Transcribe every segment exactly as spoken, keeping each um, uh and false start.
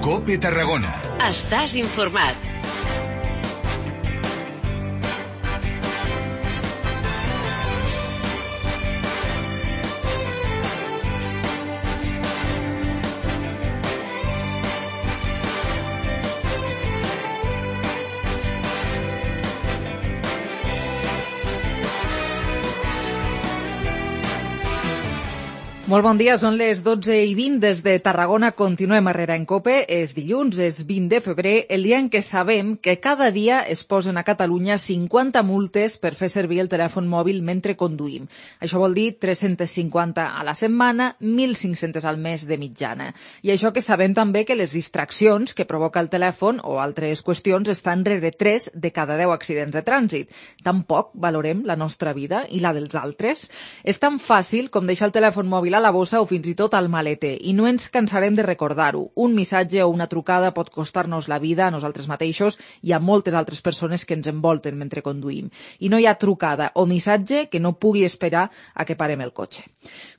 COPE Tarragona. Estàs informat. Molt bon dia, són les dotze i vint des de Tarragona. Continuem a Herrera en COPE. És dilluns, és vint de febrer, el dia en què sabem que cada dia es posen a Catalunya cinquanta multes per fer servir el telèfon mòbil mentre conduïm. Això vol dir tres-centes cinquanta a la setmana, mil cinc-centes al mes de mitjana. I això que sabem també que les distraccions que provoca el telèfon o altres qüestions estan rere tres de cada deu accidents de trànsit. Tampoc valorem la nostra vida i la dels altres. És tan fàcil com deixar el telèfon mòbil a la bossa o fins i tot al maleter, i no ens cansarem de recordar-ho. Un missatge o una trucada pot costar-nos la vida a nosaltres mateixos i a moltes altres persones que ens envolten mentre conduïm. I no hi ha trucada o missatge que no pugui esperar a que parem el cotxe.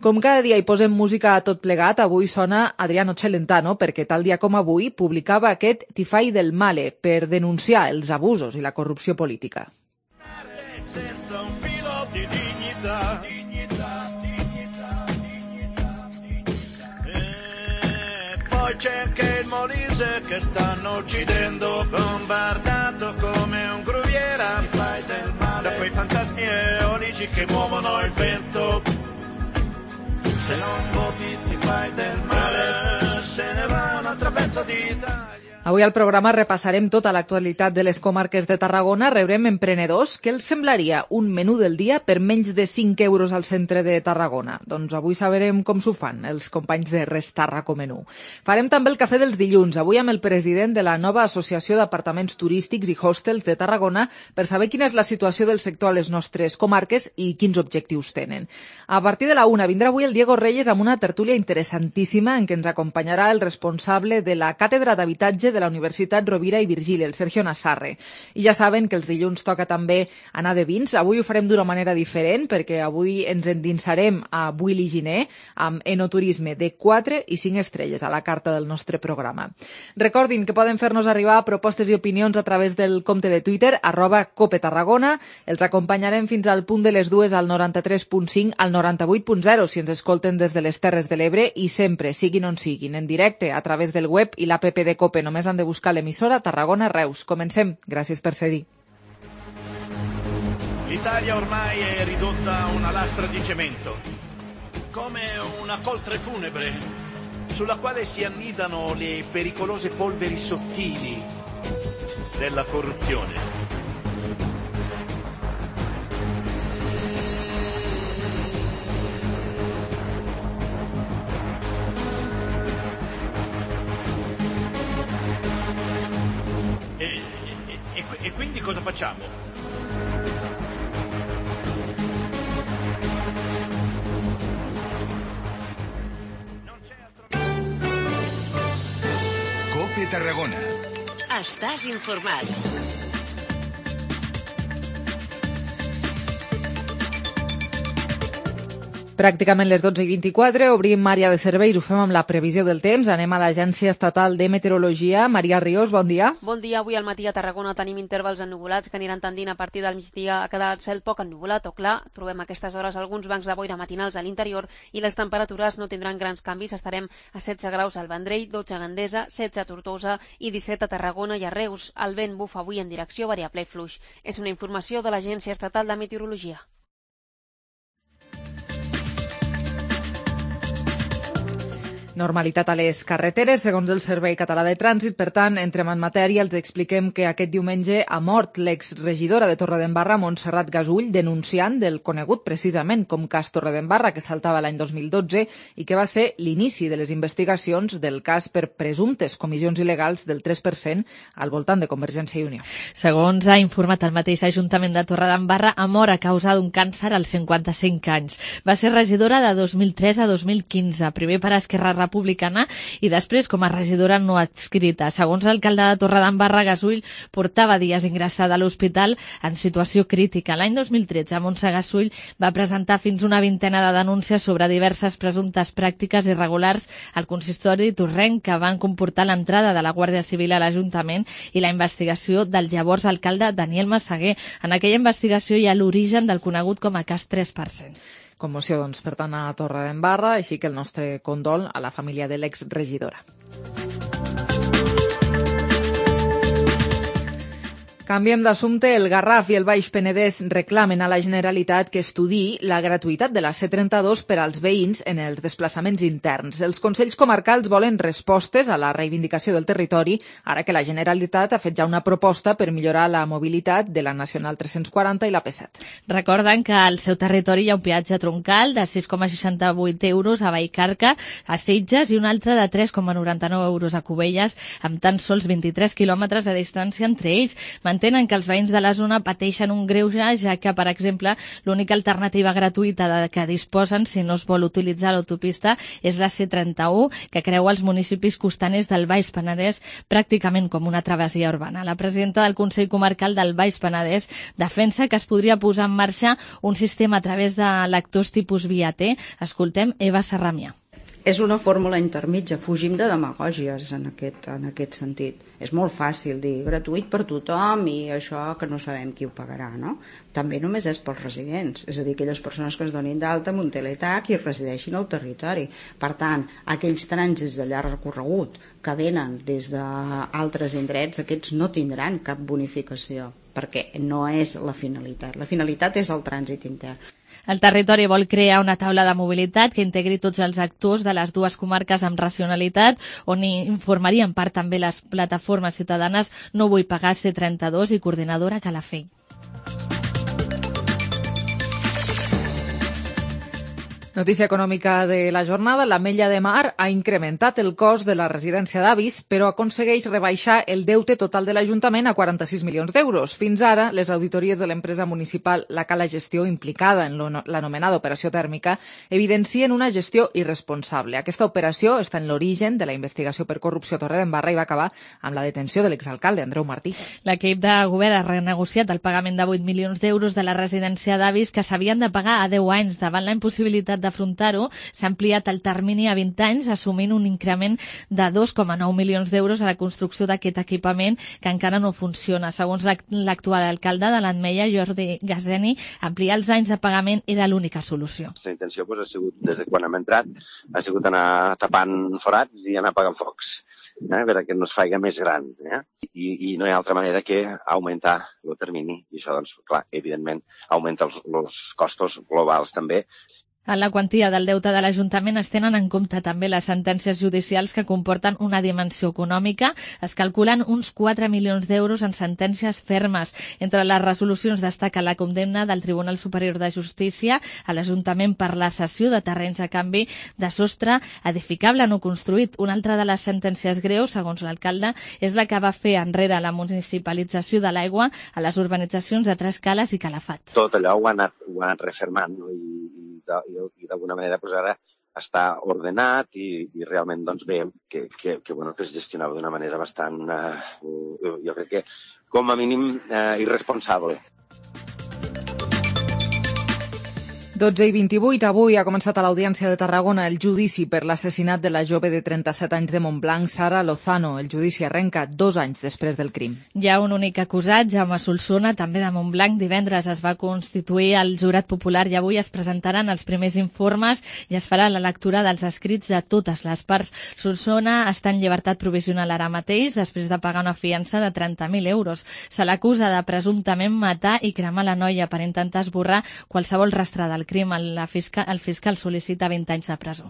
Com cada dia hi posem música a tot plegat, avui sona Adriano Celentano, perquè tal dia com avui publicava aquest Ti fai del male per denunciar els abusos i la corrupció política. Senza un filo di dignità. C'è anche il Molise che stanno uccidendo, bombardato come un gruviera da quei fantasmi eolici che muovono il vento. Se non voti ti fai del male, se ne va un altro pezzo d'Italia. Avui al programa repassarem tota l'actualitat de les comarques de Tarragona, rebrem emprenedors. Què els semblaria un menú del dia per menys de cinc euros al centre de Tarragona? Doncs avui sabrem com s'ho fan els companys de Restarraco Menú. Farem també el cafè dels dilluns, avui amb el president de la nova Associació d'Apartaments Turístics i Hostels de Tarragona per saber quina és la situació del sector a les nostres comarques i quins objectius tenen. A partir de la una vindrà avui el Diego Reyes amb una tertúlia interessantíssima en què ens acompanyarà el responsable de la Càtedra d'Habitatge de la Universitat Rovira i Virgili, el Sergio Nassarre. I ja saben que els dilluns toca també anar de vins. Avui ho farem d'una manera diferent perquè avui ens endinsarem a Buil i Giner amb enoturisme de quatre i cinc estrelles a la carta del nostre programa. Recordin que poden fer-nos arribar propostes i opinions a través del compte de Twitter arroba Cope Tarragona. Els acompanyarem fins al punt de les dues al noranta-tres punt cinc al noranta-vuit punt zero si ens escolten des de les Terres de l'Ebre i sempre, siguin on siguin, en directe a través del web i l'app de Cope. Només han de buscar l'emissora Tarragona Reus. Comencem. Gràcies per ser-hi. L'Italia ormai è ridotta a una lastra di cemento, come una coltre funebre sulla quale si annidano le pericolose polveri sottili della corruzione. E quindi cosa facciamo? COPE Tarragona. Estàs informat. Pràcticament les dotze i vint-i-quatre, obrim àrea de serveis, ho fem amb la previsió del temps. Anem a l'Agència Estatal de Meteorologia. Maria Ríos, bon dia. Bon dia. Avui al matí a Tarragona tenim intervals ennubulats que aniran tendint a partir del migdia a quedar el cel poc ennubulat o clar. Trobem a aquestes hores alguns bancs de boira matinals a l'interior i les temperatures no tindran grans canvis. Estarem a setze graus al Vendrell, dotze a Gandesa, setze a Tortosa i disset a Tarragona i a Reus. El vent bufa avui en direcció variable i fluix. És una informació de l'Agència Estatal de Meteorologia. Normalitat a les carreteres, segons el Servei Català de Trànsit. Per tant, entrem en matèria, els expliquem que aquest diumenge ha mort l'exregidora de Torredembarra, Montserrat Gasull, denunciant del conegut precisament com cas Torredembarra, que saltava l'any dos mil dotze i que va ser l'inici de les investigacions del cas per presumptes comissions il·legals del tres per cent al voltant de Convergència i Unió. Segons ha informat el mateix Ajuntament de Torredembarra, ha mort a causa d'un càncer als cinquanta-cinc anys. Va ser regidora de dos mil tres a dos mil quinze, primer per Esquerra Republicana i després com a regidora no adscrita. Segons l'alcalde de Torredembarra, Gasull portava dies ingressada a l'hospital en situació crítica. L'any dos mil tretze, Montse Gasull va presentar fins una vintena de denúncies sobre diverses presumptes pràctiques irregulars al consistori torrenc que van comportar l'entrada de la Guàrdia Civil a l'Ajuntament i la investigació del llavors alcalde Daniel Massaguer. En aquella investigació hi ha l'origen del conegut com a cas tres per cent. Commoció, doncs, per tant, a Torredembarra, així que el nostre condol a la família de l'exregidora. Canviem d'assumpte. El Garraf i el Baix Penedès reclamen a la Generalitat que estudiï la gratuïtat de la C trenta-dos per als veïns en els desplaçaments interns. Els Consells Comarcals volen respostes a la reivindicació del territori, ara que la Generalitat ha fet ja una proposta per millorar la mobilitat de la Nacional tres-cents quaranta i la P set. Recorden que al seu territori hi ha un peatge troncal de sis coma seixanta-vuit euros a Vallcarca, a Sitges, i un altre de tres coma noranta-nou euros a Cubelles, amb tan sols vint-i-tres quilòmetres de distància entre ells. Tenen que els veïns de la zona pateixen un greuge, ja que, per exemple, l'única alternativa gratuïta de que disposen si no es vol utilitzar l'autopista és la C trenta-u, que creua els municipis costaners del Baix Penedès pràcticament com una travessia urbana. La presidenta del Consell Comarcal del Baix Penedès defensa que es podria posar en marxa un sistema a través de lectors tipus via T. Escoltem Eva Serramià. És una fórmula intermitja, fugim de demagògies en aquest, en aquest sentit. És molt fàcil dir gratuït per tothom i això que no sabem qui ho pagarà, no? També només és pels residents, és a dir, aquelles persones que es donin d'alta amb un teletac i resideixin al territori. Per tant, aquells trànsits de llarg recorregut que venen des d'altres indrets, aquests no tindran cap bonificació, perquè no és la finalitat. La finalitat és el trànsit intern. El territori vol crear una taula de mobilitat que integri tots els actors de les dues comarques amb racionalitat, on informarien part també les plataformes ciutadanes No vull pagar C trenta-dos i Coordinadora Calafell. Notícia econòmica de la jornada. L'Ametlla de Mar ha incrementat el cost de la residència d'avis, però aconsegueix rebaixar el deute total de l'Ajuntament a quaranta-sis milions d'euros. Fins ara, les auditories de l'empresa municipal La Cala Gestió, implicada en l'anomenada operació tèrmica, evidencien una gestió irresponsable. Aquesta operació està en l'origen de la investigació per corrupció a Torredembarra i va acabar amb la detenció de l'exalcalde Andreu Martí. L'equip de govern ha renegociat el pagament de vuit milions d'euros de la residència d'avis que s'havien de pagar a deu anys. Davant la impossibilitat d'afrontar-ho, s'ha ampliat el termini a vint anys, assumint un increment de dos coma nou milions d'euros a la construcció d'aquest equipament que encara no funciona. Segons l'actual alcalde de l'Ametlla, Jordi Gaseni, ampliar els anys de pagament era l'única solució. La intenció pues, ha sigut, des de quan hem entrat, ha sigut anar tapant forats i anar apagant focs, eh, perquè no es faci més gran. Eh? I, I no hi ha altra manera que augmentar el termini. I això, doncs, clar, evidentment, augmenta els, els costos globals també. En la quantia del deute de l'Ajuntament es tenen en compte també les sentències judicials que comporten una dimensió econòmica. Es calculen uns quatre milions d'euros en sentències fermes. Entre les resolucions destaca la condemna del Tribunal Superior de Justícia a l'Ajuntament per la cessió de terrenys a canvi de sostre edificable no construït. Una altra de les sentències greus, segons l'alcalde, és la que va fer enrere la municipalització de l'aigua a les urbanitzacions de Tres Cales i Calafat. Tot allò ho ha anat, ho ha anat refermant, no? I i d'alguna manera pues, ara està ordenat i, i realment doncs, veiem que, que, que, bueno, que es gestionava d'una manera bastant, eh, jo crec que com a mínim eh, irresponsable. dotze i vint-i-vuit, avui ha començat a l'Audiència de Tarragona el judici per l'assassinat de la jove de trenta-set anys de Montblanc, Sara Lozano. El judici arrenca dos anys després del crim. Hi ha un únic acusat, Jaume Solsona, també de Montblanc. Divendres es va constituir el jurat popular i avui es presentaran els primers informes i es farà la lectura dels escrits de totes les parts. Solsona està en llibertat provisional ara mateix, després de pagar una fiança de trenta mil euros. Se l'acusa de presumptament matar i cremar la noia per intentar esborrar qualsevol rastre del crim. El fiscal, el fiscal sol·licita vint anys de presó.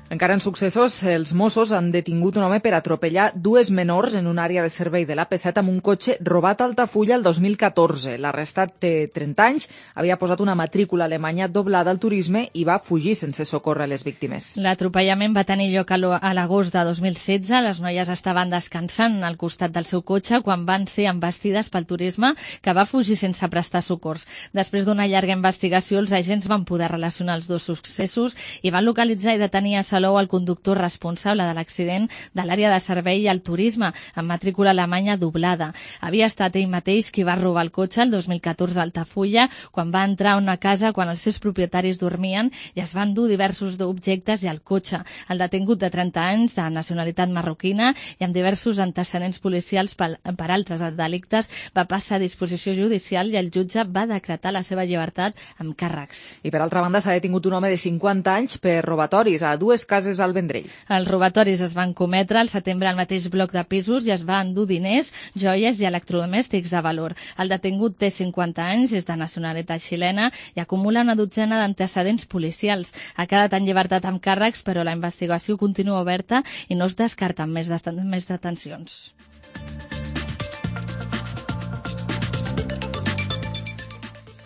Encara en successos, els Mossos han detingut un home per atropellar dues menors en una àrea de servei de l'A P set amb un cotxe robat a Altafulla el dos mil catorze. L'arrestat té trenta anys, havia posat una matrícula alemanya doblada al turisme i va fugir sense socórrer les víctimes. L'atropellament va tenir lloc a l'agost de dos mil setze. Les noies estaven descansant al costat del seu cotxe quan van ser embestides pel turisme, que va fugir sense prestar socors. Després d'una llarga investigació, els agents van poder relacionar els dos successos i van localitzar i detenir a Salou el conductor responsable de l'accident de l'àrea de servei al turisme, amb matrícula alemanya doblada. Havia estat ell mateix qui va robar el cotxe el dos mil catorze a Altafulla, quan va entrar a una casa quan els seus propietaris dormien i es van dur diversos objectes i el cotxe. El detingut de trenta anys, de nacionalitat marroquina i amb diversos antecedents policials per, per altres delictes, va passar a disposició judicial i el jutge va decretar la seva llibertat amb càrrecs. I per altra banda s'ha detingut un home de cinquanta anys per robatoris a dues cases al Vendrell. Els robatoris es van cometre al setembre al mateix bloc de pisos i es va endur diners, joies i electrodomèstics de valor. El detingut té cinquanta anys, és de nacionalitat xilena i acumula una dotzena d'antecedents policials. Ha quedat en llibertat amb càrrecs, però la investigació continua oberta i no es descarten més, més detencions.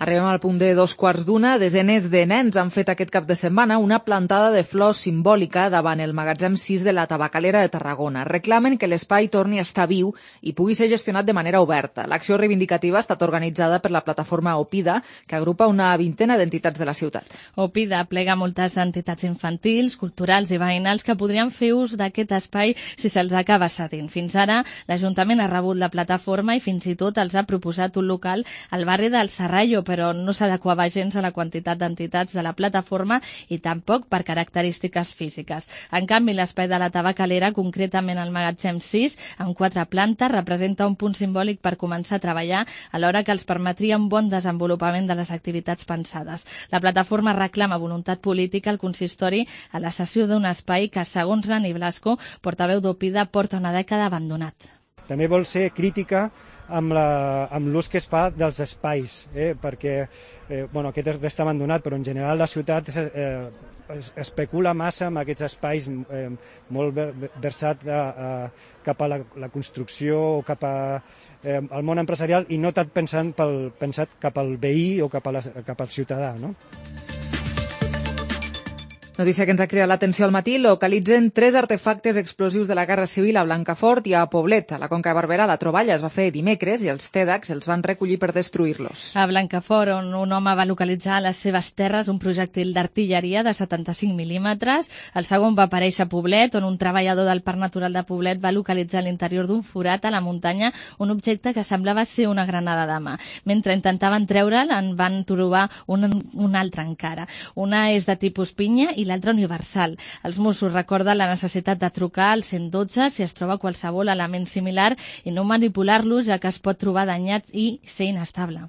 Arribem al punt de dos quarts d'una. Desenes de nens han fet aquest cap de setmana una plantada de flors simbòlica davant el magatzem sis de la Tabacalera de Tarragona. Reclamen que l'espai torni a estar viu i pugui ser gestionat de manera oberta. L'acció reivindicativa ha estat organitzada per la plataforma OPIDA, que agrupa una vintena d'entitats de la ciutat. OPIDA plega moltes entitats infantils, culturals i veïnals que podrien fer ús d'aquest espai si se'ls acaba cedint. Fins ara, l'Ajuntament ha rebut la plataforma i fins i tot els ha proposat un local al barri del Serrallo, però no s'adequava gens a la quantitat d'entitats de la plataforma i tampoc per característiques físiques. En canvi, l'espai de la Tabacalera, concretament el magatzem sis, amb quatre plantes, representa un punt simbòlic per començar a treballar, alhora que els permetria un bon desenvolupament de les activitats pensades. La plataforma reclama voluntat política al consistori a la cessió d'un espai que, segons Nani Blasco, portaveu d'OPIDA, porta una dècada abandonat. També vol ser crítica amb la, amb l'ús que es fa dels espais, eh? perquè eh, bueno, aquest resta abandonat, però en general la ciutat eh, es, especula massa amb aquests espais eh, molt versat a, a, cap a la, la construcció o cap a, eh, al món empresarial i no tant pensant pel, pensat cap al veí o cap, a la, cap al ciutadà, no? Notícia que ens ha cridat l'atenció al matí. Localitzen tres artefactes explosius de la Guerra Civil a Blancafort i a Poblet. A la Conca de Barberà la troballa es va fer dimecres i els TEDx els van recollir per destruir-los. A Blancafort, on un home va localitzar a les seves terres un projectil d'artilleria de setanta-cinc mil·límetres. El segon va aparèixer a Poblet, on un treballador del Parc Natural de Poblet va localitzar a l'interior d'un forat a la muntanya un objecte que semblava ser una granada de mà. Mentre intentaven treure'l, en van trobar un, un altre encara. Una és de tipus pinya i l'altre universal. Els Mossos recorden la necessitat de trucar al cent dotze si es troba qualsevol element similar i no manipular-lo, ja que es pot trobar danyat i ser inestable.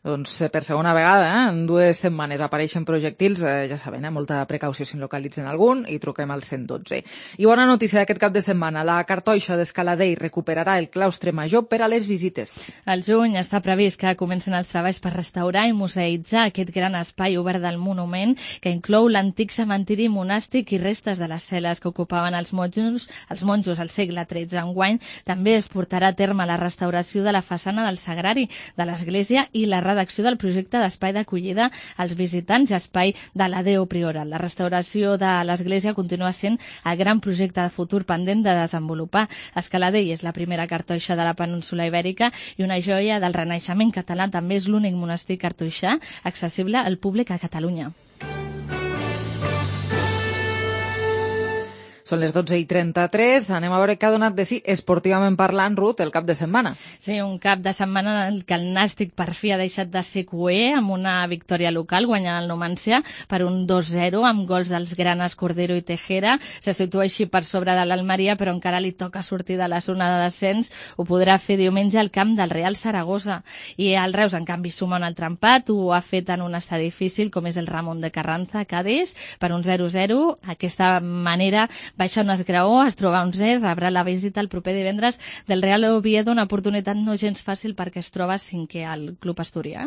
Doncs per segona vegada, eh? en dues setmanes apareixen projectils, eh, ja saben, eh? molta precaució si en localitzen algun i truquem al cent dotze. I bona notícia d'aquest cap de setmana, la Cartoixa d'Escaladell recuperarà el claustre major per a les visites. Al juny està previst que comencen els treballs per restaurar i museïtzar aquest gran espai obert del monument, que inclou l'antic cementiri monàstic i restes de les cel·les que ocupaven els monjos, els monjos al segle tretze. Enguany també es portarà a terme la restauració de la façana del sagrari de l'església i la redacció del projecte d'espai d'acollida als visitants i espai de la Deo Prioral. La restauració de l'església continua sent el gran projecte de futur pendent de desenvolupar. Escaladell és la primera cartoixa de la península ibèrica i una joia del Renaixement català. També és l'únic monestir cartoixà accessible al públic a Catalunya. Són les dotze i trenta-tres. Anem a veure què ha donat de si, esportivament parlant, Ruth, el cap de setmana. Sí, un cap de setmana en què el Nàstic per fi ha deixat de ser cuer amb una victòria local, guanyant el Numancia per un dos zero amb gols dels granes Cordero i Tejera. Se situa així per sobre de l'Almeria, però encara li toca sortir de la zona de descens. Ho podrà fer diumenge al camp del Real Saragossa. I el Reus, en canvi, suma un altre empat. Ho ha fet en un estadi difícil, com és el Ramon de Carranza, a Cádiz, per un zero zero. Aquesta manera baixa un esgraó, es troba un zero, rebrà la visita el proper divendres del Real Oviedo, una oportunitat no gens fàcil perquè es troba cinquè al club asturià.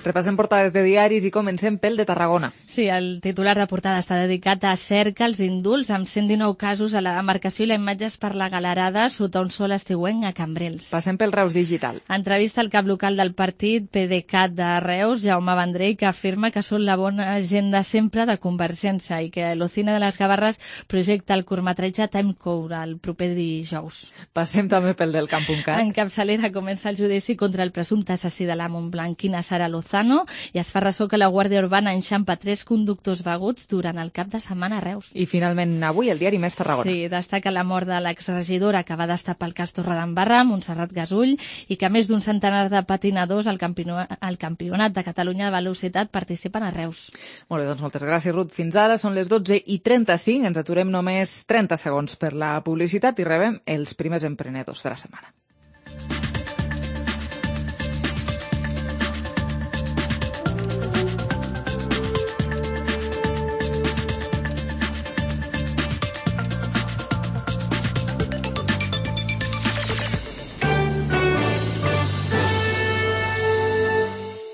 Repassem portades de diaris i comencem pel de Tarragona. Sí, el titular de portada està dedicat a cerca els indults amb cent dinou casos a la demarcació i la imatges per la galerada sota un sol estiuenc a Cambrils. Passem pel Reus Digital. Entrevista al cap local del partit PDeCAT de Reus, Jaume Vendrell, que afirma que són la bona agenda sempre de Convergència i que l'Ocine de les Gavarres projecta el curtmetratge Timecode el proper dijous. Passem també pel del Camp.cat. En capçalera comença el judici contra el presumpte assassí de la Montblanquina Sara Lozano i es fa ressò que la Guàrdia Urbana enxampa tres conductors beguts durant el cap de setmana a Reus. I finalment avui el diari Més Tarragona. Sí, destaca la mort de l'exregidora que va destapar el cas Torredembarra, Montserrat Gasull, i que més d'un centenar de patinadors al campionat, al campionat de Catalunya de velocitat participen a Reus. Molt bé, doncs moltes gràcies, Ruth. Fins ara són les dotze i trenta-cinc, ens aturem només trenta segons per la publicitat i rebem els primers emprenedors de la setmana.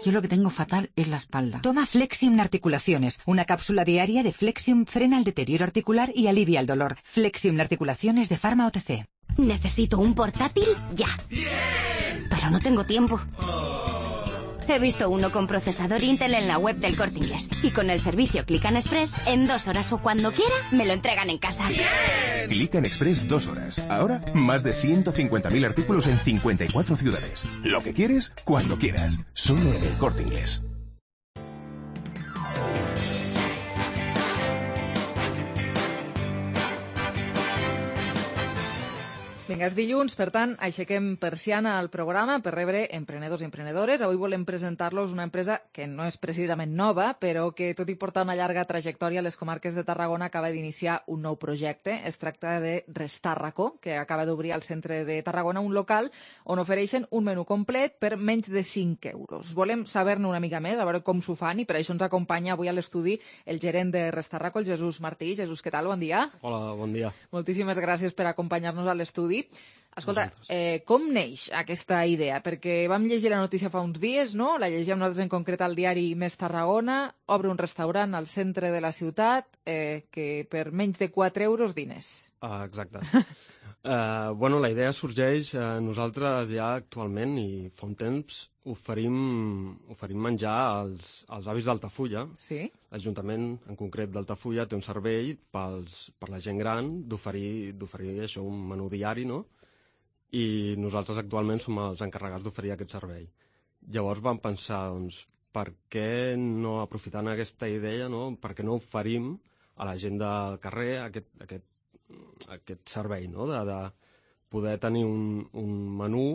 Yo lo que tengo fatal es la espalda. Toma Flexium Articulaciones. Una cápsula diaria de Flexium frena el deterioro articular y alivia el dolor. Flexium Articulaciones de Pharma O T C. Necesito un portátil ya. ¡Bien! Pero no tengo tiempo. He visto uno con procesador Intel en la web del Corte Inglés. Y con el servicio Click and Express, en dos horas o cuando quiera, me lo entregan en casa. ¡Bien! Click and Express dos horas. Ahora, más de ciento cincuenta mil artículos en cincuenta y cuatro ciudades. Lo que quieres, cuando quieras. Solo en el Corte Inglés. Vinga, és dilluns, per tant, aixequem persiana al programa per rebre emprenedors i emprenedores. Avui volem presentar-los una empresa que no és precisament nova, però que, tot i portar una llarga trajectòria a les comarques de Tarragona, acaba d'iniciar un nou projecte. Es tracta de Restàrraco, que acaba d'obrir al centre de Tarragona un local on ofereixen un menú complet per menys de cinc euros. Volem saber-ne una mica més, a veure com s'ho fan, i per això ens acompanya avui a l'estudi el gerent de Restàrraco, el Jesús Martí. Jesús, què tal? Bon dia. Hola, bon dia. Moltíssimes gràcies per acompanyar-nos a l'estudi. Escolta, eh, com neix aquesta idea? Perquè vam llegir la notícia fa uns dies, no? La llegíem nosaltres en concret al diari Més Tarragona. Obre un restaurant al centre de la ciutat eh, que per menys de quatre euros dines. Ah, exacte. uh, bueno, la idea sorgeix, uh, nosaltres ja actualment i fa un temps oferim, oferim menjar als, als avis d'Altafulla. Sí? L'Ajuntament, en concret d'Altafulla, té un servei pels, per la gent gran d'oferir d'oferir això, un menú diari, no? I nosaltres actualment som els encarregats d'oferir aquest servei. Llavors vam pensar, doncs, per què no aprofitant aquesta idea, no? Per què no oferim a la gent del carrer aquest, aquest, aquest servei, no? De, de poder tenir un, un menú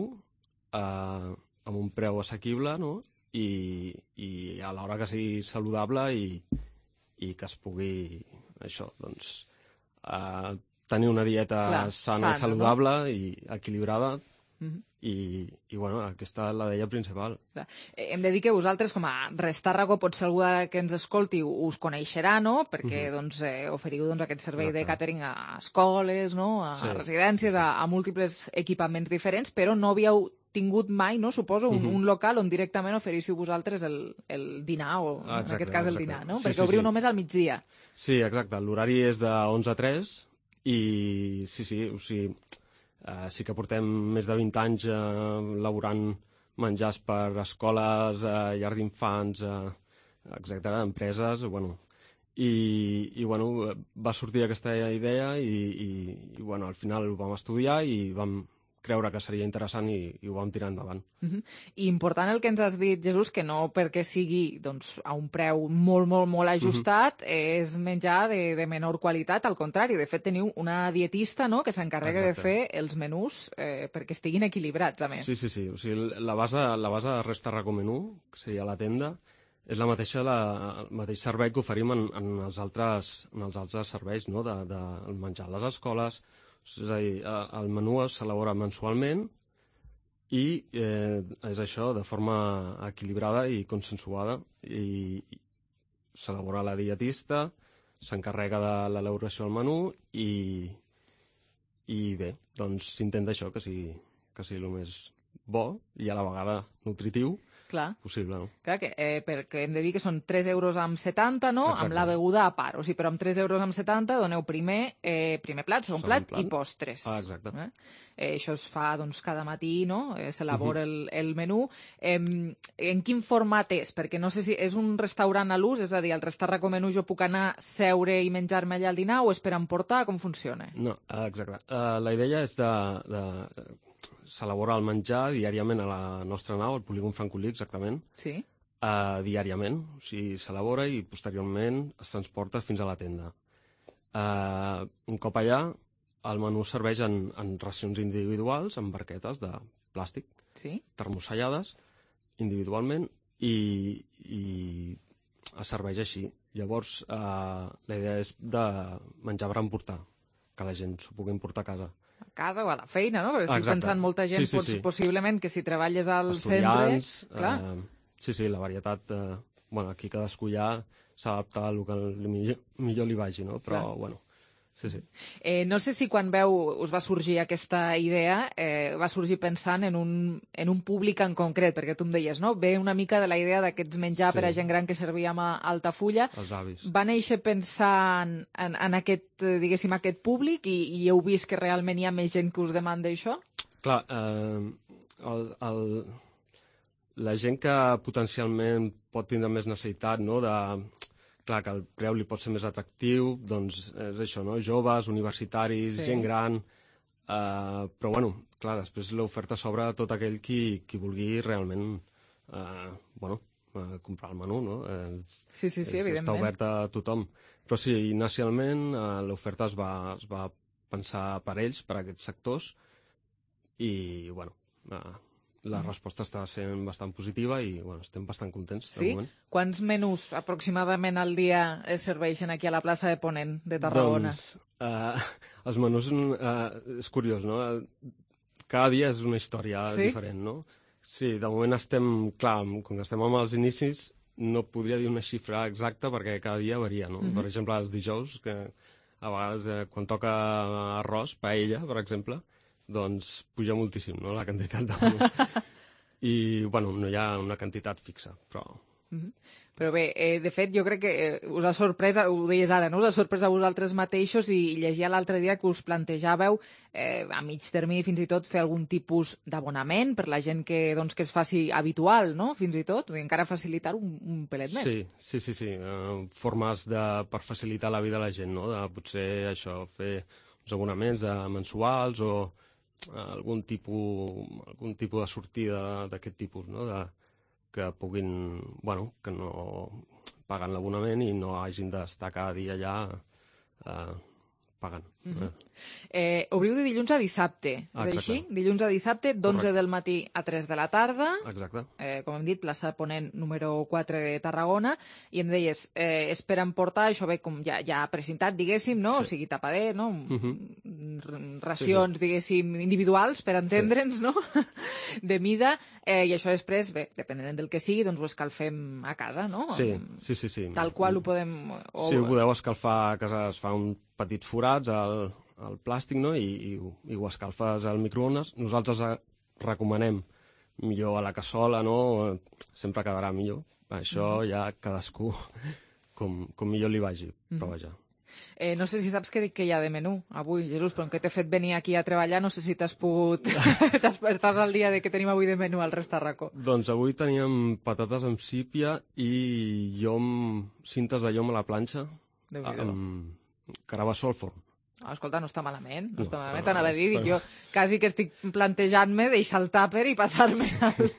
eh, amb un preu assequible, no? I, i alhora que sigui saludable i, i que es pugui, això, doncs, eh, tenir una dieta Clar, sana, sana, i saludable, no? I equilibrada, mm-hmm. i, i bueno, aquesta és la idea principal. Clar. Hem de dir que vosaltres, com a Restàrraco, potser algú que ens escolti us coneixerà, no? Perquè Mhm. doncs, eh, oferiu doncs, aquest servei de Exacte. càtering a escoles, no? A Sí, residències, a, a múltiples equipaments diferents, però no havíeu tingut mai, no? Suposo, un, Mhm. un local on directament oferíssiu vosaltres el, el dinar, o en Exacte, aquest cas el exacte. dinar, no? Sí, Perquè sí, obriu sí. només al migdia. Sí, exacte. L'horari és de onze a tres i sí, sí, o sigui, eh, sí que portem més de vint anys eh, elaborant menjars per escoles, eh, llars d'infants, eh, etcètera, empreses, bueno. I, i bueno, va sortir aquesta idea i, i, i bueno, al final ho vam estudiar i vam creure que seria interessant i, i ho vam tirar endavant. Uh-huh. I important el que ens has dit, Jesús, que no perquè sigui doncs, a un preu molt, molt, molt ajustat, uh-huh. és menjar de, de menor qualitat, al contrari. De fet, teniu una dietista, no?, que s'encarrega de fer els menús eh, perquè estiguin equilibrats, a més. Sí, sí, sí. O sigui, la base, la base de Restàrraco Menú, que seria la tenda, és la mateixa, la, el mateix servei que oferim en, en, els, altres, en els altres serveis, no?, de, de menjar a les escoles. És a dir, el menú s'elabora mensualment i eh, és això, de forma equilibrada i consensuada. I, i s'elabora la dietista, s'encarrega de l'elaboració del menú i, i bé, doncs s'intenta això, que sigui, que sigui el més bo i a la vegada nutritiu. Clar. possible, no? Clar, que, eh, perquè hem de dir que són tres euros amb setanta, no? Exacte. Amb la beguda a part. O sigui, però amb tres euros amb setanta doneu primer, eh, primer plat, segon, Segon plat, plat. i postres. Ah, exacte. Eh? Eh, això es fa doncs, cada matí, no? Eh, s'elabora Mhm. el, el menú. Eh, en quin format és? Perquè no sé si és un restaurant a l'ús, és a dir, al Restarraco Menú jo puc anar, seure i menjar-me allà al dinar, o és per emportar? Com funciona? No, eh, exacte. Uh, la idea és de... de s'elabora el menjar diàriament a la nostra nau, al polígon francolí, exactament. Sí. Uh, diàriament, o sigui, s'elabora i posteriorment es transporta fins a la tenda. Uh, un cop allà, el menú serveix en, en racions individuals, en barquetes de plàstic, sí. termosellades, individualment, i, i es serveix així. Llavors, uh, la idea és de menjar per emportar, que la gent s'ho pugui emportar a casa. A casa o a la feina, no? Perquè estic Exacte. pensant molta gent, Sí, sí, pots, sí. possiblement, que si treballes al Estudiants, centre... Clar. Eh, sí, sí, la varietat... Eh, bueno, aquí cadascú ja s'adapta al que li millor, millor li vagi, no? Però, Clar. bueno, sí, sí. Eh, no sé si quan veu us va sorgir aquesta idea, eh, va sorgir pensant en un, en un públic en concret, perquè tu em deies, no? Ve una mica de la idea d'aquests menjar Sí. per a gent gran que servíem a Altafulla. Els avis. Va néixer pensant en, en aquest, eh, diguéssim, aquest públic i, i heu vist que realment hi ha més gent que us demanda això? Clar, eh, el, el, la gent que potencialment pot tindre més necessitat, no?, de... Clar, que el preu li pot ser més atractiu, doncs és això, no? Joves, universitaris, Sí. gent gran... Eh, però, bueno, clar, després l'oferta s'obre a tot aquell qui, qui vulgui realment eh, bueno, eh, comprar el menú, no? Eh, Sí, sí, sí, és, evidentment. està obert a tothom. Però sí, inicialment eh, l'oferta es, va, es va pensar per ells, per aquests sectors, i, bueno, eh, la resposta està sent bastant positiva i, bueno, estem bastant contents, de Sí? moment. Quants menús aproximadament al dia es serveixen aquí a la plaça de Ponent de Tarragona? Doncs, eh, els menús, eh, és curiós, no? Cada dia és una història Sí? diferent, no? Sí, de moment estem, clar, com que estem amb els inicis, no podria dir una xifra exacta perquè cada dia varia, no? Mhm. Per exemple, els dijous, que a vegades eh, quan toca arròs, paella, per exemple, doncs puja moltíssim, no?, la quantitat de menús. I, bueno, no hi ha una quantitat fixa, però... Mhm. Però bé, eh, de fet, jo crec que eh, us ha sorprès, ho deies ara, no? Us ha sorprès a vosaltres mateixos i llegia l'altre dia que us plantejàveu eh, a mig termini fins i tot fer algun tipus d'abonament per la gent que, doncs, que es faci habitual, no?, fins i tot, i encara facilitar un, un pelet més. Sí, sí, sí, sí. Uh, formes de, per facilitar la vida a la gent, no? De potser això, fer uns abonaments de mensuals o uh, algun tipus, algun tipus de sortida d'aquest tipus, no? De, que puguin, bueno, que no paguen l'abonament i no hagin d'estar cada dia allà eh, pagant. Mhm. Eh, obriu de dilluns a dissabte, Ah, és exacte. així? Dilluns a dissabte, d'onze Correcte. del matí a tres de la tarda. Exacte. Eh, com hem dit, plaça Ponent número quatre de Tarragona, i em deies, eh, és per emportar, això ve com ja, ja precintat, diguéssim, no? Sí. O sigui, tapader, no? Mhm. R- Racions, Sí, sí. diguéssim, individuals, per entendre'ns, no? De mida, eh, i això després, bé, depenent del que sigui, doncs ho escalfem a casa, no? Sí, sí, sí, sí. Tal qual ho podem... O... Si ho podeu escalfar a casa, es fa un petit forats al, al plàstic, no? I, i, ho- i ho escalfes al microones. Nosaltres eh, recomanem millor a la cassola, no? Sempre quedarà millor. Això Mhm. ja cadascú com, com millor li vagi, però Mhm. vaja. Eh, no sé si saps què, què hi ha de menú avui, Jesús, però com que t'he fet venir aquí a treballar, no sé si t'has pogut... t'has, estàs al dia de que tenim avui de menú al Restarraco. Doncs avui teníem patates amb sípia i llom, cintes de llom a la planxa Déu-n'hi-do. amb carabassó al forn. No, escolta, no està malament, no, No, està malament, no, t'anava a dir, dic però- jo quasi que estic plantejant-me deixar el tàper i passar-me al...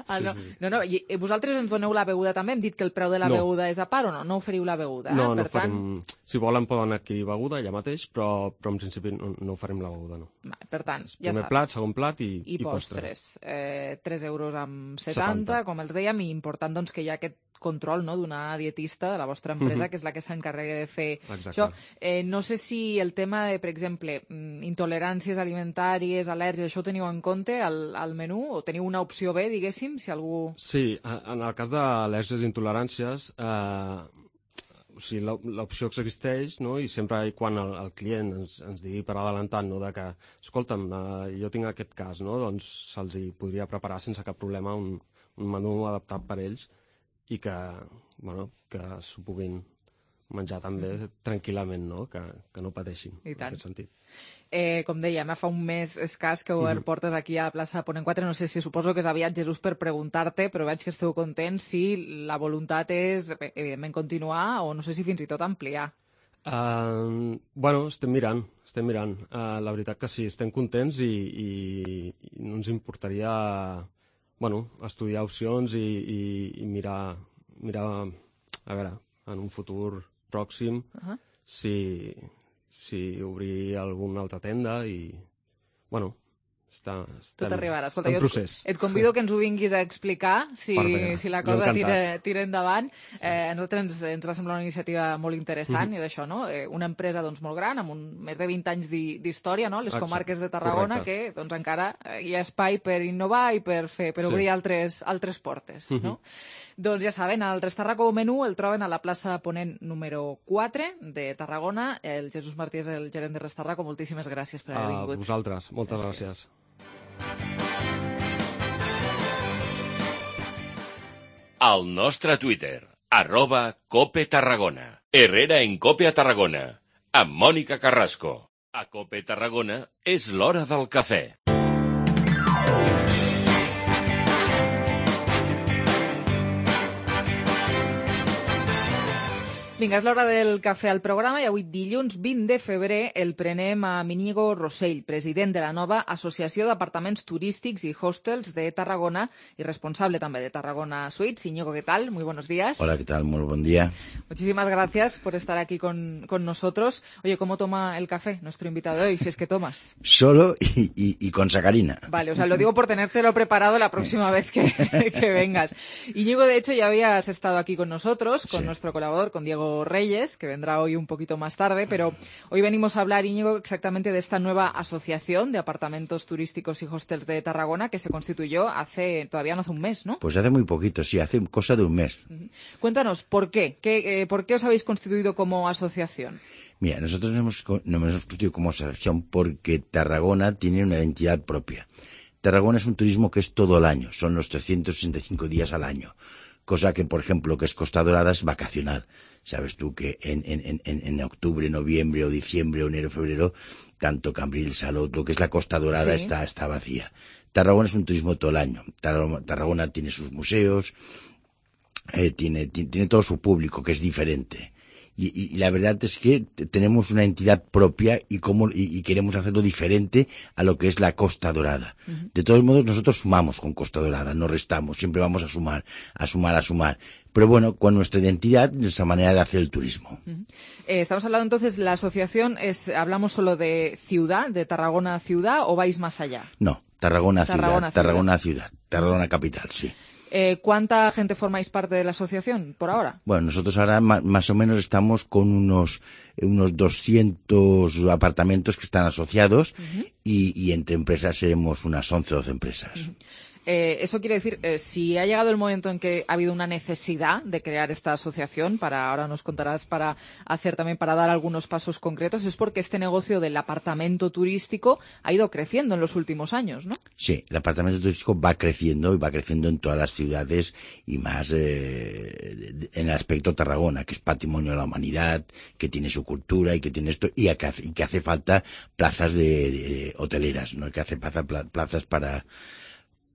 Ah, Sí, no. sí. no, no, i i vosaltres ens doneu la beguda també? Hem dit que el preu de la No. beguda és a part o no? No oferiu la beguda? No, eh? no Per tant, farem... Si volen poden adquirir beguda allà mateix, però, però en principi no, no farem la beguda, no. va, per tant, ja Primer saps. plat, segon plat i, I, i postre. postres. Eh, tres euros amb setanta, setanta. com els dèiem, i important doncs, que hi ha aquest control, no?, d'una dietista de la vostra empresa, Mhm. que és la que s'encarrega de fer Exacte. això. Eh, no sé si el tema de, per exemple, mm, intoleràncies alimentàries, al·lèrgies, això ho teniu en compte al, al menú? O teniu una opció B, diguéssim, si algú... Sí, eh, en el cas d'al·lèrgies i intoleràncies, eh, o sigui, l'op- l'opció existeix, no?, i sempre i quan el, el client ens, ens digui per adelantat, no?, de que, escolta'm, eh, jo tinc aquest cas, no?, doncs se'ls hi podria preparar sense cap problema un, un menú adaptat per ells i que, bueno, que s'ho puguin menjar també tranquil·lament, no? Que, que no pateixin, I tant. en aquest sentit. Eh, com dèiem, fa un mes escàs que obert Mhm. portes aquí a plaça Ponent quatre. No sé si suposo que és aviat, Jesús, per preguntar-te, però veig que esteu contents si la voluntat és, bé, evidentment, continuar o no sé si fins i tot ampliar. Uh, bueno, estem mirant, estem mirant. Uh, la veritat que sí, estem contents i, i, i no ens importaria, bueno, estudiar opcions i, i, i mirar, mirar, a veure, en un futur pròxim, Uh-huh. si, si obrir alguna altra tenda i, bueno, està, estem Tot arribarà. Escolta, en jo procés. et convido que ens ho vinguis a explicar si, Perfecte. si la Jo cosa encantat. tira, tira endavant. Eh, a nosaltres ens, ens va semblar una iniciativa molt interessant Mhm. i d'això, no? Eh, una empresa doncs, molt gran, amb un, més de vint anys d'hi- d'història, no? Les Exacte. comarques de Tarragona, Correcte. que doncs, encara eh, hi ha espai per innovar i per, fer, per Sí. obrir altres, altres portes, Mhm. no? Doncs ja saben, el Restarraco Menú el troben a la plaça Ponent número quatre de Tarragona. El Jesús Martí és el gerent de Restarraco. Moltíssimes gràcies per haver A vingut. vosaltres, moltes Gràcies. gràcies. Al nostre Twitter, arroba Cope Tarragona. Herrera en Cope a Tarragona, amb Mònica Carrasco. A Cope Tarragona és l'hora del cafè. Vinga, és l'hora del cafè al programa i avui dilluns vint de febrer el prenem a Íñigo Rossell, president de la nova Associació d'Apartaments Turístics y Hostels de Tarragona y responsable también de Tarragona Suites. Íñigo, ¿qué tal? Muy buenos días. Hola, ¿qué tal? Muy buen día. Muchísimas gracias por estar aquí con, con nosotros. Oye, ¿cómo toma el café nuestro invitado de hoy, si es que tomas? Solo y, y, y con sacarina. Vale, o sea, lo digo por tenértelo preparado la próxima vez que, que vengas. Íñigo, de hecho, ya habías estado aquí con nosotros, con Sí. nuestro colaborador, con Diego Reyes, que vendrá hoy un poquito más tarde, pero hoy venimos a hablar, Íñigo, exactamente de esta nueva asociación de apartamentos turísticos y hostels de Tarragona que se constituyó hace, todavía no hace un mes, ¿no? Pues hace muy poquito, sí, hace cosa de un mes. Cuéntanos, ¿por qué? ¿Qué, eh, ¿Por qué os habéis constituido como asociación? Mira, nosotros nos hemos, co- nos hemos constituido como asociación porque Tarragona tiene una identidad propia. Tarragona es un turismo que es todo el año, son los trescientos sesenta y cinco días al año. Cosa que, por ejemplo, lo que es Costa Dorada es vacacional. Sabes tú que en, en, en, en octubre, noviembre o diciembre o enero, febrero, tanto Cambril, Salou, lo que es la Costa Dorada Sí. está, está vacía. Tarragona es un turismo todo el año. Tarragona, Tarragona tiene sus museos, eh, tiene, tiene, tiene todo su público, que es diferente. Y, y, y la verdad es que t- tenemos una entidad propia y, cómo, y, y queremos hacerlo diferente a lo que es la Costa Dorada. Ujú. De todos modos, nosotros sumamos con Costa Dorada, no restamos, siempre vamos a sumar, a sumar, a sumar. Pero bueno, con nuestra identidad, nuestra manera de hacer el turismo. Ujú. Eh, estamos hablando entonces, la asociación es, ¿hablamos solo de ciudad, de Tarragona ciudad, o vais más allá? No, Tarragona, Tarragona ciudad, Tarragona ciudad, Tarragona capital, sí. Eh, ¿Cuánta gente formáis parte de la asociación por ahora? Bueno, nosotros ahora ma- más o menos estamos con unos, unos doscientos apartamentos que están asociados y, y entre empresas seremos unas once o doce empresas. Eh, eso quiere decir, eh, si ha llegado el momento en que ha habido una necesidad de crear esta asociación, para ahora nos contarás para hacer también, para dar algunos pasos concretos, es porque este negocio del apartamento turístico ha ido creciendo en los últimos años, ¿no? Sí, el apartamento turístico va creciendo y va creciendo en todas las ciudades y más eh, de- en el aspecto Tarragona, que es patrimonio de la humanidad, que tiene su cultura y que tiene esto y que hace, y que hace falta plazas de, de hoteleras, ¿no? Que hace falta pla- plazas para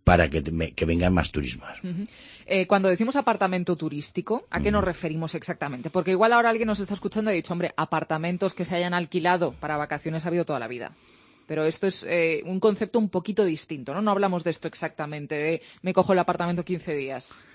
para que, te- que vengan más turismos. Ujú. Eh, cuando decimos apartamento turístico, ¿a qué nos referimos exactamente? Porque igual ahora alguien nos está escuchando y ha dicho, hombre, apartamentos que se hayan alquilado para vacaciones ha habido toda la vida. Pero esto es eh, un concepto un poquito distinto, ¿no? No hablamos de esto exactamente, de me cojo el apartamento quince días.